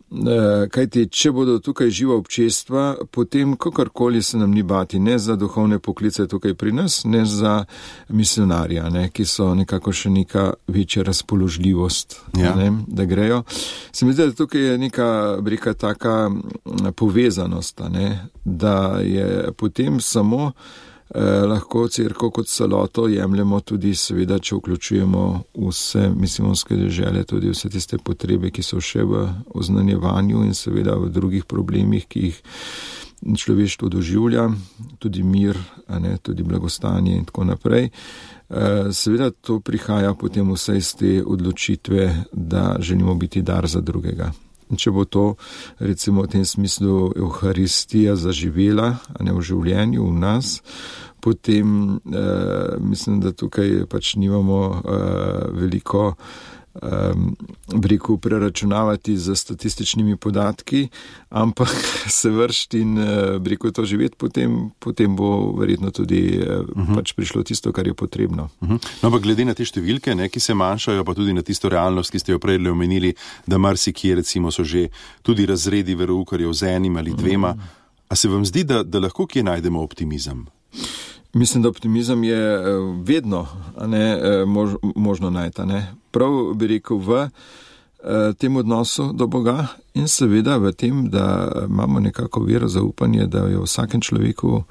Kajti, če bodo tukaj živa občestva, potem kakorkoli se nam ni bati, ne za duhovne poklice tukaj pri nas, ne za misionarja, ne, ki so nekako še neka večja razpoložljivost, ja. ne, da grejo. Se mi zdi, da tukaj je neka brika taka povezanost, ne, da je potem samo Eh, lahko cerkev kot celoto jemljemo tudi, seveda, če vključujemo vse misijonske dežele, tudi vse tiste potrebe, ki so še v oznanjevanju in seveda v drugih problemih, ki jih človeštvo doživlja, tudi mir, a ne, tudi blagostanje in tako naprej. Eh, seveda to prihaja potem vse iz te odločitve, da želimo biti dar za drugega. In če bo to, recimo v tem smislu, Evharistija zaživela, a ne v življenju, v nas, potem eh, mislim, da tukaj pač nimamo eh, veliko breku preračunavati z statističnimi podatki, ampak se vršti in breku to živeti, potem, potem bo verjetno tudi uh-huh. pač prišlo tisto, kar je potrebno. Uh-huh. No, pa glede na te številke, ne, ki se manjšajo, pa tudi na tisto realnost, ki ste jo prej omenili, da marsikje recimo so že tudi razredi veroukarjev z enim ali dvema. Uh-huh. A se vam zdi, da, da lahko kje najdemo optimizem? Mislim, da optimizem je vedno a ne, mož, možno najti. Ne. Prav bi rekel v tem odnosu do Boga in seveda v tem, da imamo nekako vero, zaupanje, da je v vsakem človeku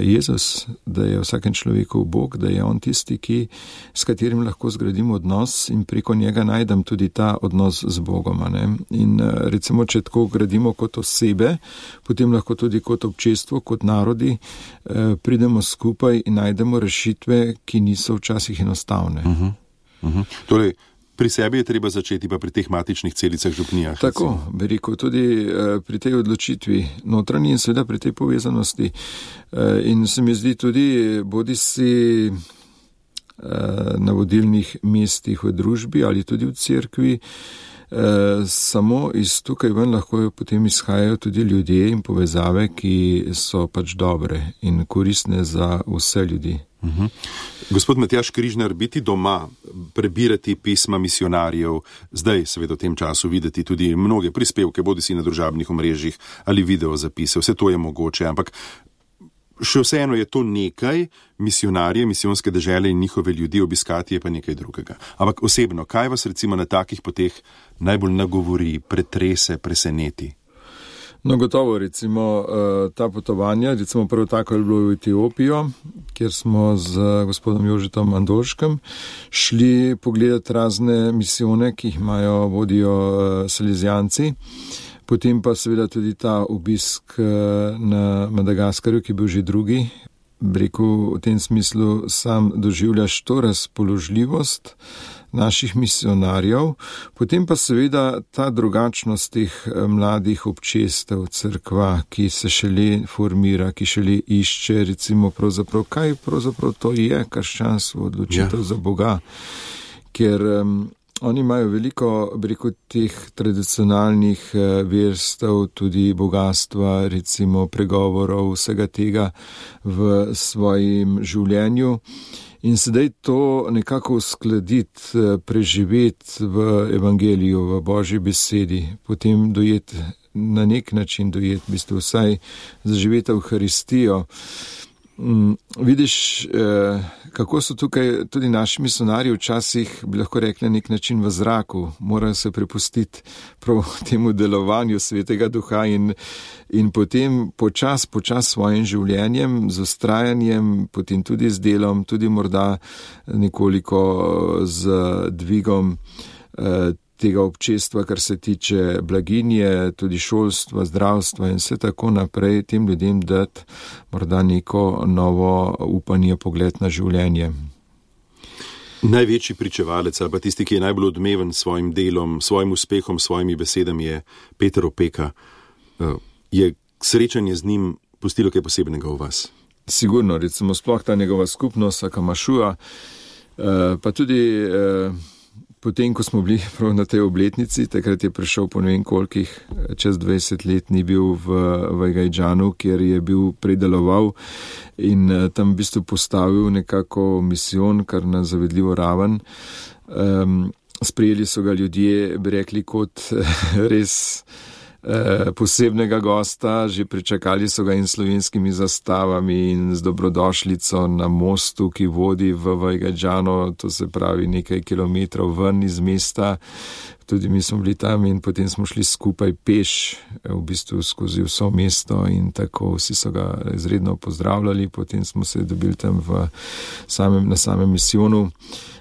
Jezus, da je v vsakem človeku Bog, da je on tisti, ki, s katerim lahko zgradimo odnos in preko njega najdem tudi ta odnos z Bogom. Ne? In recimo, če tako gradimo kot osebe, potem lahko tudi kot občestvo, kot narodi pridemo skupaj in najdemo rešitve, ki niso včasih enostavne. Uh-huh. Uh-huh. Torej, pri sebi je treba začeti pa pri teh matičnih celicah župnijah. Tako, bi rekel, tudi uh, pri tej odločitvi notranji in seveda pri tej povezanosti. Uh, in se mi zdi tudi, bodi si uh, na vodilnih mestih v družbi ali tudi v cerkvi, uh, samo iz tukaj ven lahko potem izhajajo tudi ljudje in povezave, ki so pač dobre in koristne za vse ljudi. Uhum. Gospod Matjaž Križnar, biti doma, prebirati pisma misionarjev, zdaj seveda v tem času videti tudi mnoge prispevke, bodi si na družabnih omrežjih ali video zapise, vse to je mogoče, ampak še vseeno je to nekaj, misionarje, misijonske dežele in njihove ljudi obiskati je pa nekaj drugega. Ampak osebno, kaj vas recimo na takih poteh najbolj nagovori, pretrese, preseneti? No, gotovo, recimo, ta potovanja, recimo prvo tako je bilo v Etiopijo, kjer smo z gospodom Jožetom Andolškem šli pogledati razne misijone, ki jih imajo, vodijo Salezijanci. Potem pa seveda tudi ta obisk na Madagaskarju, ki je bil že drugi. Breku, v tem smislu sam doživljaš to razpoložljivost naših misionarjev, potem pa seveda ta drugačnost teh mladih občestev, cerkva, ki se šele formira, ki šele išče, recimo pravzaprav, kaj pravzaprav to je krščanstvo, odločitev ja. za Boga, ker um, oni imajo veliko, preko teh tradicionalnih verstev, tudi bogatstva, recimo pregovorov, vsega tega v svojem življenju. In sedaj to nekako uskladiti, preživeti v evangeliju, v Božji besedi, potem dojeti, na nek način dojeti, v bistvu vsaj zaživeti Evharistijo. Mm, vidiš, eh, kako so tukaj tudi naši misionarji včasih, bi lahko rekli, nek način v zraku, morajo se prepustiti prav temu delovanju Svetega Duha in, in potem počas, počas svojim življenjem, z ustrajanjem, potem tudi z delom, tudi morda nekoliko z dvigom eh, tega občestva, kar se tiče blaginje, tudi šolstva, zdravstva in vse tako naprej, tem ljudem dati morda neko novo upanje, pogled na življenje. Največji pričevalec ali pa tisti, ki je najbolj odmeven s svojim delom, svojim uspehom, svojimi besedami je Peter Opeka. Je srečanje z njim pustilo kaj posebnega v vas? Sigurno, recimo sploh ta njegova skupnost, Akamašua, pa tudi potem, ko smo bili prav na tej obletnici, takrat je prišel po ne vem kolikih, čez dvajset let ni bil v, v Gajdžanu, kjer je bil predeloval in tam v bistvu postavil nekako misijon, kar na zavedljivo raven. Um, sprejeli so ga ljudje, bi rekli, kot res posebnega gosta, že pričakali so ga in slovenskimi zastavami in z dobrodošlico na mostu, ki vodi v Vajgadžano, to se pravi nekaj kilometrov ven iz mesta. Tudi mi smo bili tam in potem smo šli skupaj peš, v bistvu skozi vso mesto in tako vsi so ga izredno pozdravljali. Potem smo se dobili tam v samem, na samem misijonu,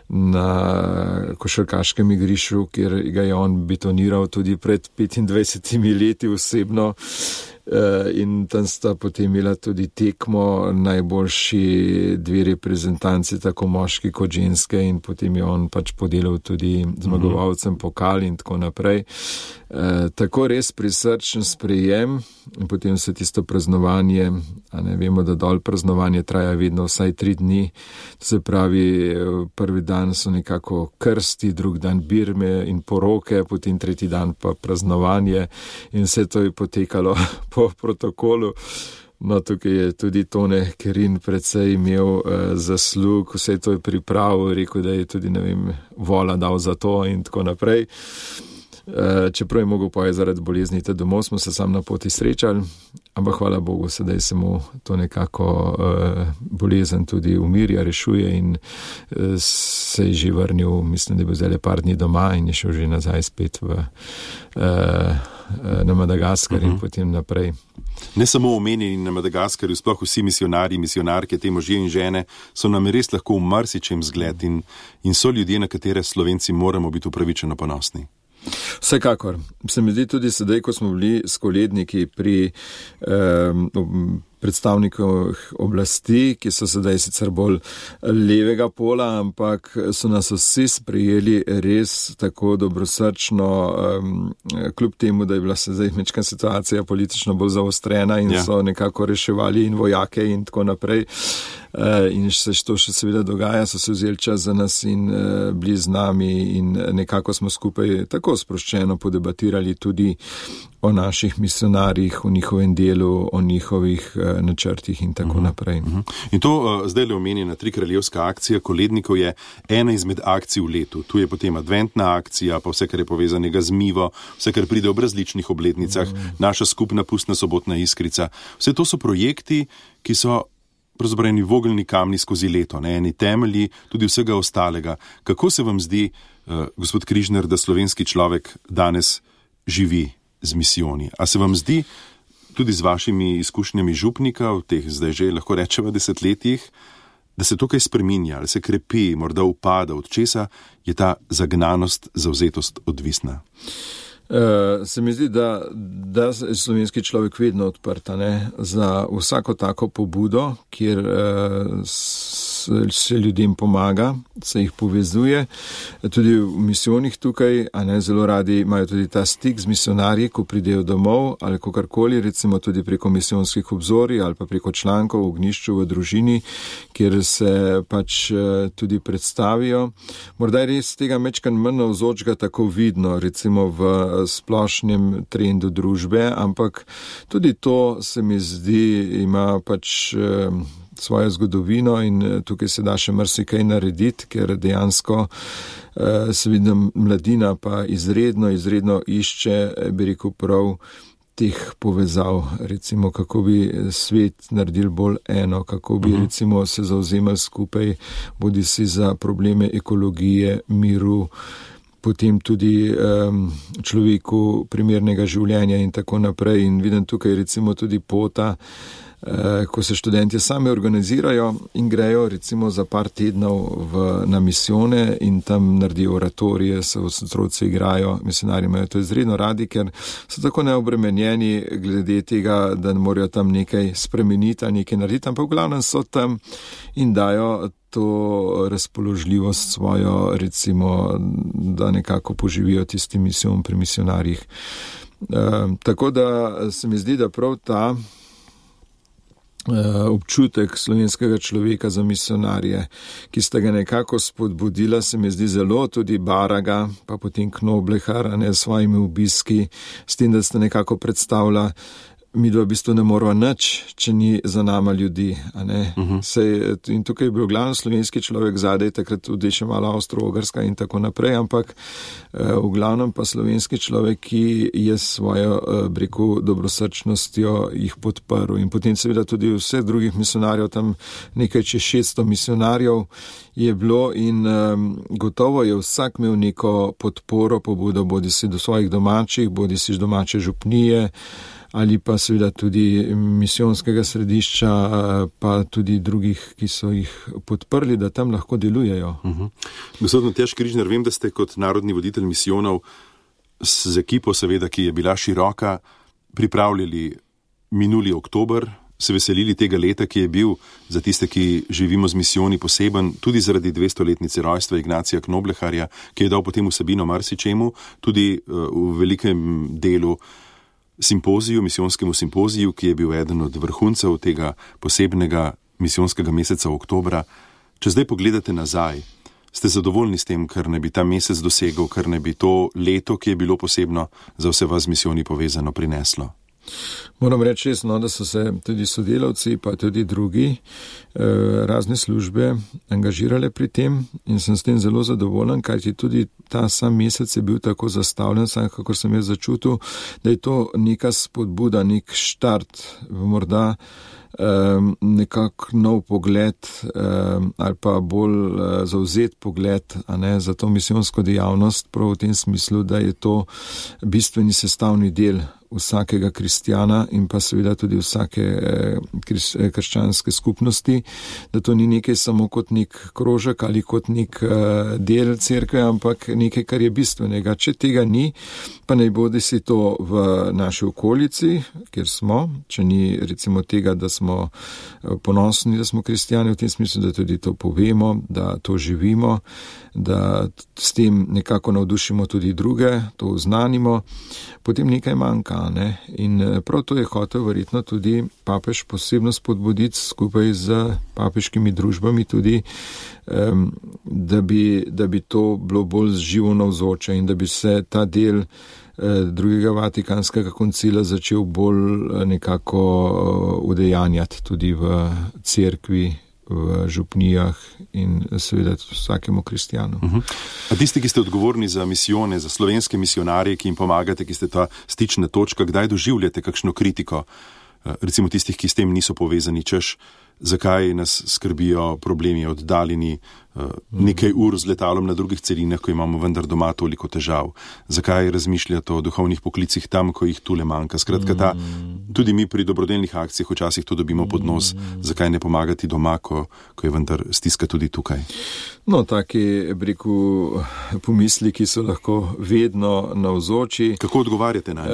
na košarkaškem igrišču, kjer ga je on betoniral tudi pred petindvajsetimi leti osebno. In tam sta potem imela tudi tekmo najboljši dve reprezentanci, tako moški kot ženske, in potem je on pač podelil tudi zmagovalcem pokal in tako naprej. E, tako res prisrčen sprejem in potem se tisto praznovanje, a ne vemo, da dol praznovanje traja vedno vsaj tri dni, to se pravi, prvi dan so nekako krsti, drug dan birme in poroke, potem tretji dan pa praznovanje in vse to je potekalo po protokolu. No, tukaj je tudi Tone Kerin predvsej imel uh, zaslug, vse to je pripravil, rekel, da je tudi, ne vem, vola dal za to in tako naprej. Uh, čeprav je mogel poje zaradi bolezni, te domov smo se sam na poti srečali, ampak hvala Bogu, sedaj se mu to nekako uh, bolezen tudi umirja, rešuje in uh, se je že vrnil, mislim, da je bil zdaj par dni doma in je šel že nazaj spet v, uh, na Madagaskar in uh-huh. potem naprej. Ne samo omenjeni na Madagaskarju, sploh vsi misionarji, misionarke, te možje in žene so nam res lahko v marsičem zgled in, in so ljudje, na katere Slovenci moramo biti upravičeno ponosni. Vsekakor. Se mi zdi tudi sedaj, ko smo bili s koledniki pri um, predstavnikov oblasti, ki so sedaj sicer bolj levega pola, ampak so nas vsi sprejeli res tako dobrosrčno, um, kljub temu, da je bila sedaj mečka situacija politično bolj zaostrena in ja. so nekako reševali in vojake in tako naprej. Uh, in se to še seveda dogaja, so se vzeli čas za nas in uh, bili z nami in nekako smo skupaj tako sproščeno podebatirali tudi o naših misionarjih, o njihovem delu, o njihovih uh, načrtih in tako uh-huh. naprej. Uh-huh. In to uh, zdaj le omenjena Tri kraljevska akcija kolednikov je ena izmed akcij v letu. Tu je potem adventna akcija, pa vse, kar je povezanega z Mivo, vse, kar pride ob različnih obletnicah, uh-huh. naša skupna pustna sobotna iskrica. Vse to so projekti, ki so pravzaprav eni vogelni kamni skozi leto, ne, eni temelji tudi vsega ostalega. Kako se vam zdi, uh, gospod Križnar, da slovenski človek danes živi z misijoni? A se vam zdi tudi z vašimi izkušnjami župnika v teh zdaj že lahko rečeva desetletjih, da se to kaj spreminja, ali se krepi, morda upada, od česa je ta zagnanost, zavzetost odvisna? Uh, se mi zdi, da, da je slovenski človek vedno odprta, ne, za vsako tako pobudo, kjer uh, se ljudem pomaga, se jih povezuje. Tudi v misijonih tukaj, a ne, zelo radi imajo tudi ta stik z misionarji, ko pridejo domov ali kakorkoli, recimo tudi preko misijonskih obzorij ali pa preko člankov v Ognjišču v družini, kjer se pač uh, tudi predstavijo. Morda je res tega mečkan manj navzočega tako vidno, recimo v splošnem trendu družbe, ampak tudi to se mi zdi ima pač eh, svojo zgodovino in tukaj se da še marsikaj narediti, ker dejansko eh, se vidim mladina pa izredno, izredno išče, bi rekel prav, teh povezav, recimo kako bi svet naredil bolj eno, kako bi recimo se zauzemali skupaj, bodi si za probleme ekologije, miru, potem tudi um, človeku primernega življenja in tako naprej. In vidim tukaj recimo tudi pota, uh, ko se študentje sami organizirajo in grejo recimo za par tednov v, na misijone in tam naredijo oratorije, se otroci igrajo, misionarji imajo to izredno radi, ker so tako neobremenjeni glede tega, da morajo tam nekaj spremeniti, nekaj narediti, ampak v glavnem so tam in dajo to razpoložljivost svojo, recimo, da nekako poživijo tisti misijon pri misionarjih. E, tako da se mi zdi, da prav ta e, občutek slovenskega človeka za misionarje, ki sta ga nekako spodbudila, se mi zdi zelo tudi Baraga, pa potem Knoblehar, ne, s svojimi obiski, s tem, da sta nekako predstavila mi dva v bistvu ne morava nič, če ni za nama ljudi. A ne? Uh-huh. Sej, in tukaj je bil glavno slovenski človek zadaj, takrat tudi še malo Avstro-Ogrska in tako naprej, ampak uh, v glavnem pa slovenski človek, ki je svojo uh, breku dobrosrčnostjo jih podprl. In potem seveda tudi vseh drugih misionarjev, tam nekaj čez šeststo misionarjev je bilo in um, gotovo je vsak imel neko podporo, pobudo, bodi si do svojih domačih, bodi si domače župnije, ali pa seveda tudi misijonskega središča, pa tudi drugih, ki so jih podprli, da tam lahko delujejo. Uh-huh. Gospod Matjaž Križnar, vem, da ste kot narodni voditelj misijonov z ekipo, seveda, ki je bila široka, pripravljali minuli oktober, se veselili tega leta, ki je bil za tiste, ki živimo z misijoni poseben, tudi zaradi dvestoletnice rojstva Ignacija Knobleharja, ki je dal potem vsebino marsičemu, tudi uh, v velikem delu simpoziju, misijonskemu simpoziju, ki je bil eden od vrhuncev tega posebnega misijonskega meseca oktobra. Če zdaj pogledate nazaj, ste zadovoljni s tem, kar ne bi ta mesec dosegel, kar ne bi to leto, ki je bilo posebno za vse vas z misijoni povezano, prineslo? Moram reči resno, da so se tudi sodelavci, pa tudi drugi eh, razne službe angažirale pri tem in sem s tem zelo zadovoljen, kajti tudi ta sam mesec je bil tako zastavljen, sam kakor sem jaz začutil, da je to neka spodbuda, nek štart, morda Um, nekak nov pogled um, ali pa bolj uh, zavzet pogled, a ne, za to misijonsko dejavnost, prav v tem smislu, da je to bistveni sestavni del vsakega kristjana in pa seveda tudi vsake eh, kris, eh, krščanske skupnosti, da to ni nekaj samo kot nek krožek ali kot nek eh, del cerkve, ampak nekaj, kar je bistvenega. Če tega ni, pa naj bodi si to v naši okolici, kjer smo, če ni recimo tega, da smo ponosni, da smo kristjani, v tem smislu, da tudi to povemo, da to živimo, da s tem nekako navdušimo tudi druge, to oznanimo, potem nekaj manjka. Ne? In prav to je hotel verjetno tudi papež posebno spodbuditi skupaj z papeškimi družbami tudi, um, da, bi, da bi to bilo bolj živo navzoče in da bi se ta del drugega Vatikanskega koncila začel bolj nekako udejanjati tudi v cerkvi, v župnijah in seveda vsakemu kristjanu. Uh-huh. A tisti, ki ste odgovorni za misijone, za slovenske misionarje, ki jim pomagate, ki ste ta stična točka, kdaj doživljate kakšno kritiko, recimo tistih, ki s tem niso povezani, češ, zakaj nas skrbijo problemi oddaljeni, nekaj ur z letalom na drugih celinah, ko imamo vendar doma toliko težav. Zakaj razmišljate o duhovnih poklicih tam, ko jih tule manjka? Skratka, ta, tudi mi pri dobrodelnih akcijah včasih to dobimo pod nos. Zakaj ne pomagati doma, ko, ko je vendar stiska tudi tukaj? No, taki, breku, pomisliki so lahko vedno navzoči. Kako odgovarjate na nje?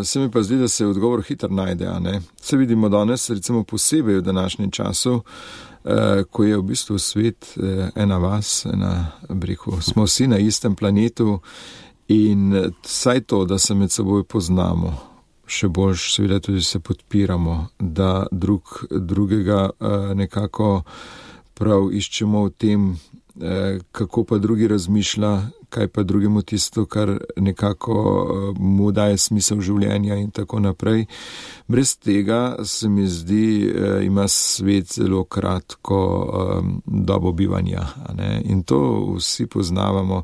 E, se mi pa zdi, da se odgovor hitro najde, a ne? Se vidimo danes, recimo posebej v današnjem času, ko je v bistvu svet ena vas, ena breku. Smo vsi na istem planetu in saj to, da se med seboj poznamo, še bolj seveda tudi se podpiramo, da drug, drugega nekako prav iščemo v tem, kako pa drugi razmišlja, kaj pa drugemu tisto, kar nekako mu daje smisel življenja in tako naprej. Brez tega se mi zdi, ima svet zelo kratko dobo bivanja, a ne? In to vsi poznavamo.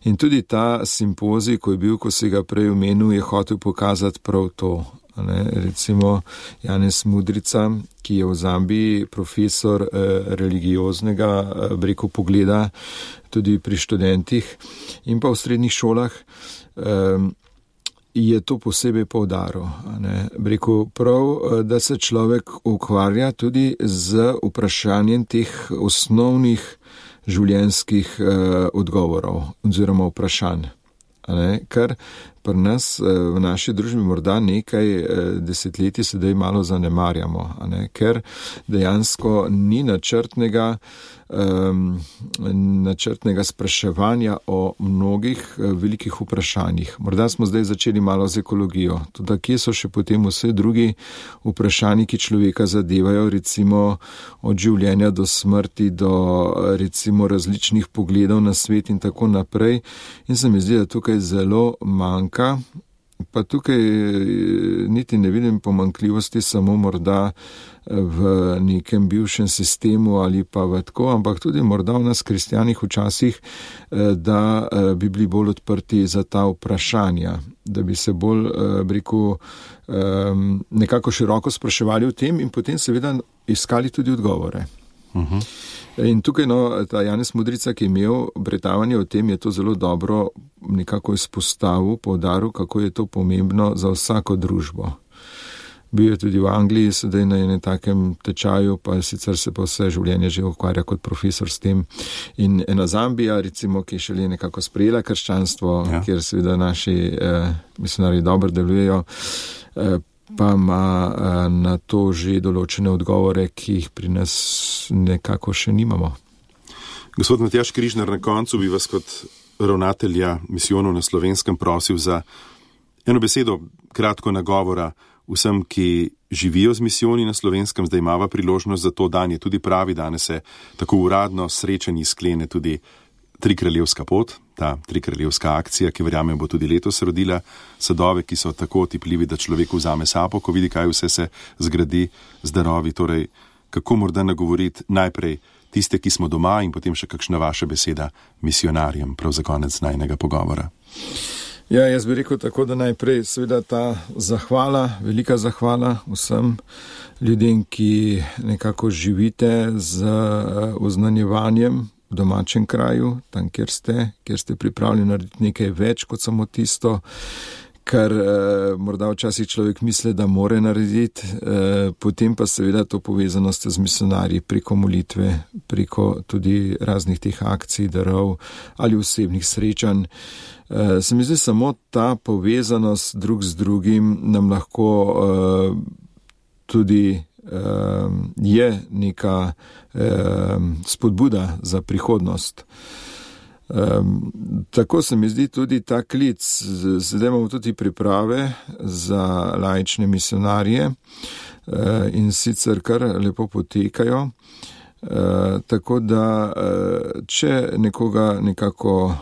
In tudi ta simpozij, ko je bil, ko si ga prej omenil, je hotel pokazati prav to. Ne, recimo Janez Mudrica, ki je v Zambiji profesor eh, religioznega eh, breku pogleda tudi pri študentih in pa v srednjih šolah, eh, je to posebej poudaril. Breku prav, da se človek ukvarja tudi z vprašanjem teh osnovnih življenjskih eh, odgovorov oziroma vprašanj. Kar pri nas v naši družbi morda nekaj desetletij sedaj malo zanemarjamo, ker dejansko ni načrtnega, um, načrtnega spraševanja o mnogih velikih vprašanjih. Morda smo zdaj začeli malo z ekologijo, tudi kje so še potem vse drugi vprašanji, ki človeka zadevajo, recimo od življenja do smrti, do recimo različnih pogledov na svet in tako naprej. In se mi zdi, da tukaj zelo manjka pa tukaj niti ne vidim pomanjkljivosti samo morda v nekem bivšem sistemu ali pa v tako, ampak tudi morda v nas kristjanih včasih, da bi bili bolj odprti za ta vprašanja, da bi se bolj, bi rekel, nekako široko spraševali o tem in potem seveda iskali tudi odgovore. Uh-huh. In tukaj, no, ta Janez Mudrica, ki je imel predavanje o tem, je to zelo dobro nekako izpostavil, poudaril, kako je to pomembno za vsako družbo. Bil je tudi v Angliji, sedaj na enem takem tečaju, pa sicer se pa vse življenje že ukvarja kot profesor s tem. In ena Zambija, recimo, ki je šele nekako sprejela krščanstvo, ja. Kjer seveda naši eh, misionarji dobro delujejo, eh, pa ima eh, na to že določene odgovore, ki jih pri nas nekako še nimamo. Gospod Matjaž Križnar, na koncu bi vas kot ravnatelja misijonov na Slovenskem prosil za eno besedo, kratko nagovora vsem, ki živijo z misijoni na Slovenskem. Zdaj imava priložnost za to, dan je tudi pravi, danes se tako uradno srečanji sklene tudi Trikraljevska pot, ta Trikraljevska akcija, ki verjamem bo tudi letos rodila sadove, ki so tako otipljivi, da človeku vzame sapo, ko vidi, kaj vse se zgradi z darovi. Torej, kako morda nagovoriti najprej tiste, ki smo doma, in potem še kakšna vaša beseda misionarjem, prav za konec najnega pogovora. Ja, jaz bi rekel tako, da najprej seveda ta zahvala, velika zahvala vsem ljudem, ki nekako živite z oznanjevanjem v domačem kraju, tam, kjer ste, kjer ste pripravljeni narediti nekaj več kot samo tisto, kar eh, morda včasih človek misli, da more narediti, eh, potem pa seveda to povezanost z misionarji preko molitve, preko tudi raznih teh akcij, darov ali osebnih srečanj. Eh, se mi zdi, samo ta povezanost drug z drugim nam lahko eh, tudi eh, je neka eh, spodbuda za prihodnost. Um, tako se mi zdi tudi ta klic. Zdaj imamo tudi priprave za laične misionarje uh, in sicer kar lepo potekajo. Uh, tako da, uh, če nekoga nekako uh,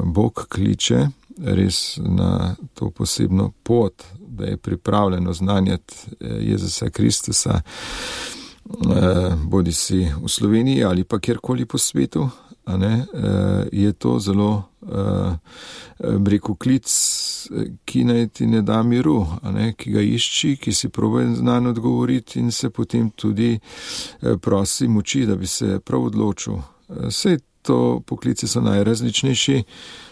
Bog kliče res na to posebno pot, da je pripravljen oznanjati Jezusa Kristusa, uh, bodi si v Sloveniji ali pa kjerkoli po svetu, a ne, je to zelo, bi rekel, klic, ki naj ti ne da miru, a ne, ki ga išči, ki si proba znano odgovoriti in se potem tudi prosi moči, da bi se prav odločil. Vse to poklici so najrazličnejši.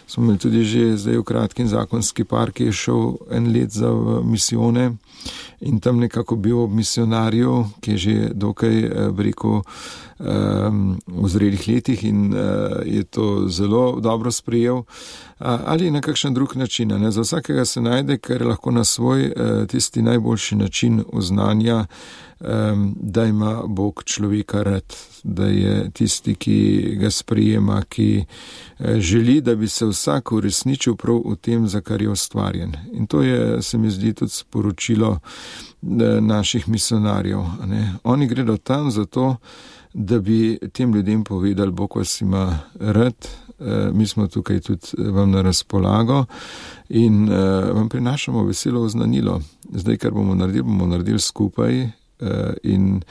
Smo imeli tudi že zdaj v kratkim zakonski par, ki je šel en let za misijone in tam nekako bil ob misionarju, ki je že dokaj, bi rekel, v zrelih letih in je to zelo dobro sprejel. Ali na kakšen drug način. Ne? Za vsakega se najde, ker lahko na svoj tisti najboljši način oznanja, da ima Bog človeka rad, da je tisti, ki ga sprejema, ki želi, da bi se vsak uresničil prav v tem, za kar je ustvarjen. In to je, se mi zdi, tudi sporočilo naših misionarjev. Ne? Oni gredo tam zato, da bi tem ljudem povedali, Bog vas ima rad, mi smo tukaj tudi vam na razpolago in vam prinašamo veselo oznanilo. Zdaj, kar bomo naredili, bomo naredili skupaj in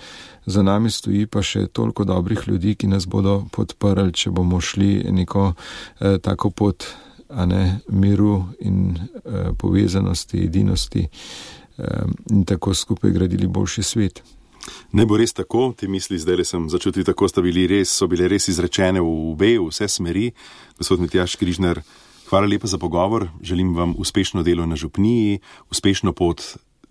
za nami stoji pa še toliko dobrih ljudi, ki nas bodo podprli, če bomo šli neko tako pot, a ne, miru in povezanosti, edinosti in tako skupaj gradili boljši svet. Ne bo res tako, te misli zdaj le sem začutil, tako sta bili res, so bile res izrečene v obe, v vse smeri. Gospod Matjaž Križnar, hvala lepa za pogovor, želim vam uspešno delo na župniji, uspešno pot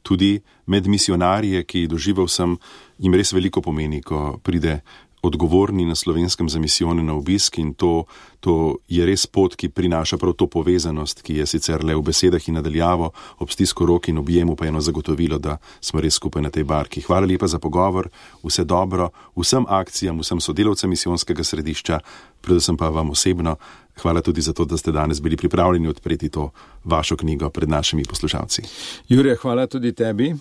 tudi med misionarje, ki doživel sem, jim res veliko pomeni, ko pride odgovorni na Slovenskem za misijone na obisk in to, to je res pot, ki prinaša prav to povezanost, ki je sicer le v besedah in nadaljavo, ob stisku rok in objemu pa eno zagotovilo, da smo res skupaj na tej barki. Hvala lepa za pogovor, vse dobro, vsem akcijam, vsem sodelavcem misijonskega središča, predvsem pa vam osebno. Hvala tudi za to, da ste danes bili pripravljeni odpreti to vašo knjigo pred našimi poslušalci. Jure, hvala tudi tebi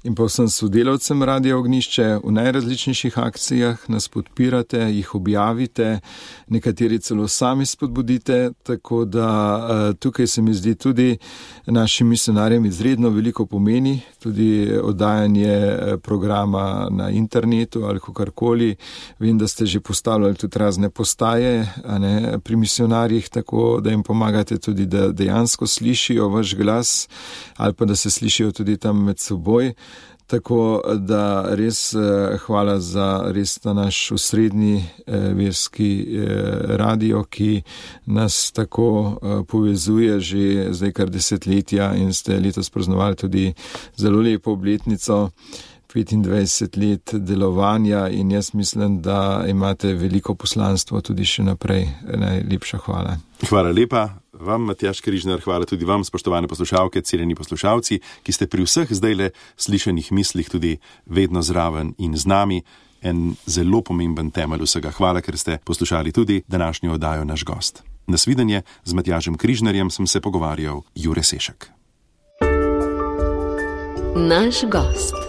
in pa vsem sodelavcem Radia Ognjišče. V najrazličnejših akcijah nas podpirate, jih objavite, nekateri celo sami sami spodbudite, tako da tukaj se mi zdi tudi našim misionarjem izredno veliko pomeni, tudi oddajanje programa na internetu ali kakorkoli. Vem, da ste že postavljali tudi razne postaje, a ne, pri misionarjih, tako da jim pomagate tudi, da dejansko slišijo vaš glas ali pa da se slišijo tudi tam med seboj. Tako da res hvala za res ta naš osrednji verski radio, ki nas tako povezuje že zdaj kar desetletja in ste letos praznovali tudi zelo lepo obletnico, petindvajset let delovanja in jaz mislim, da imate veliko poslanstvo tudi še naprej. Najlepša hvala. Hvala lepa. Vam, Matjaž Križnar, hvala tudi vam, spoštovane poslušalke, cenjeni poslušalci, ki ste pri vseh zdajle slišanih mislih tudi vedno zraven in z nami. En zelo pomemben temelj vsega. Hvala, ker ste poslušali tudi današnjo oddajo Naš gost. Nasvidenje, z Matjažem Križnarjem sem se pogovarjal Jure Sešek. Naš gost.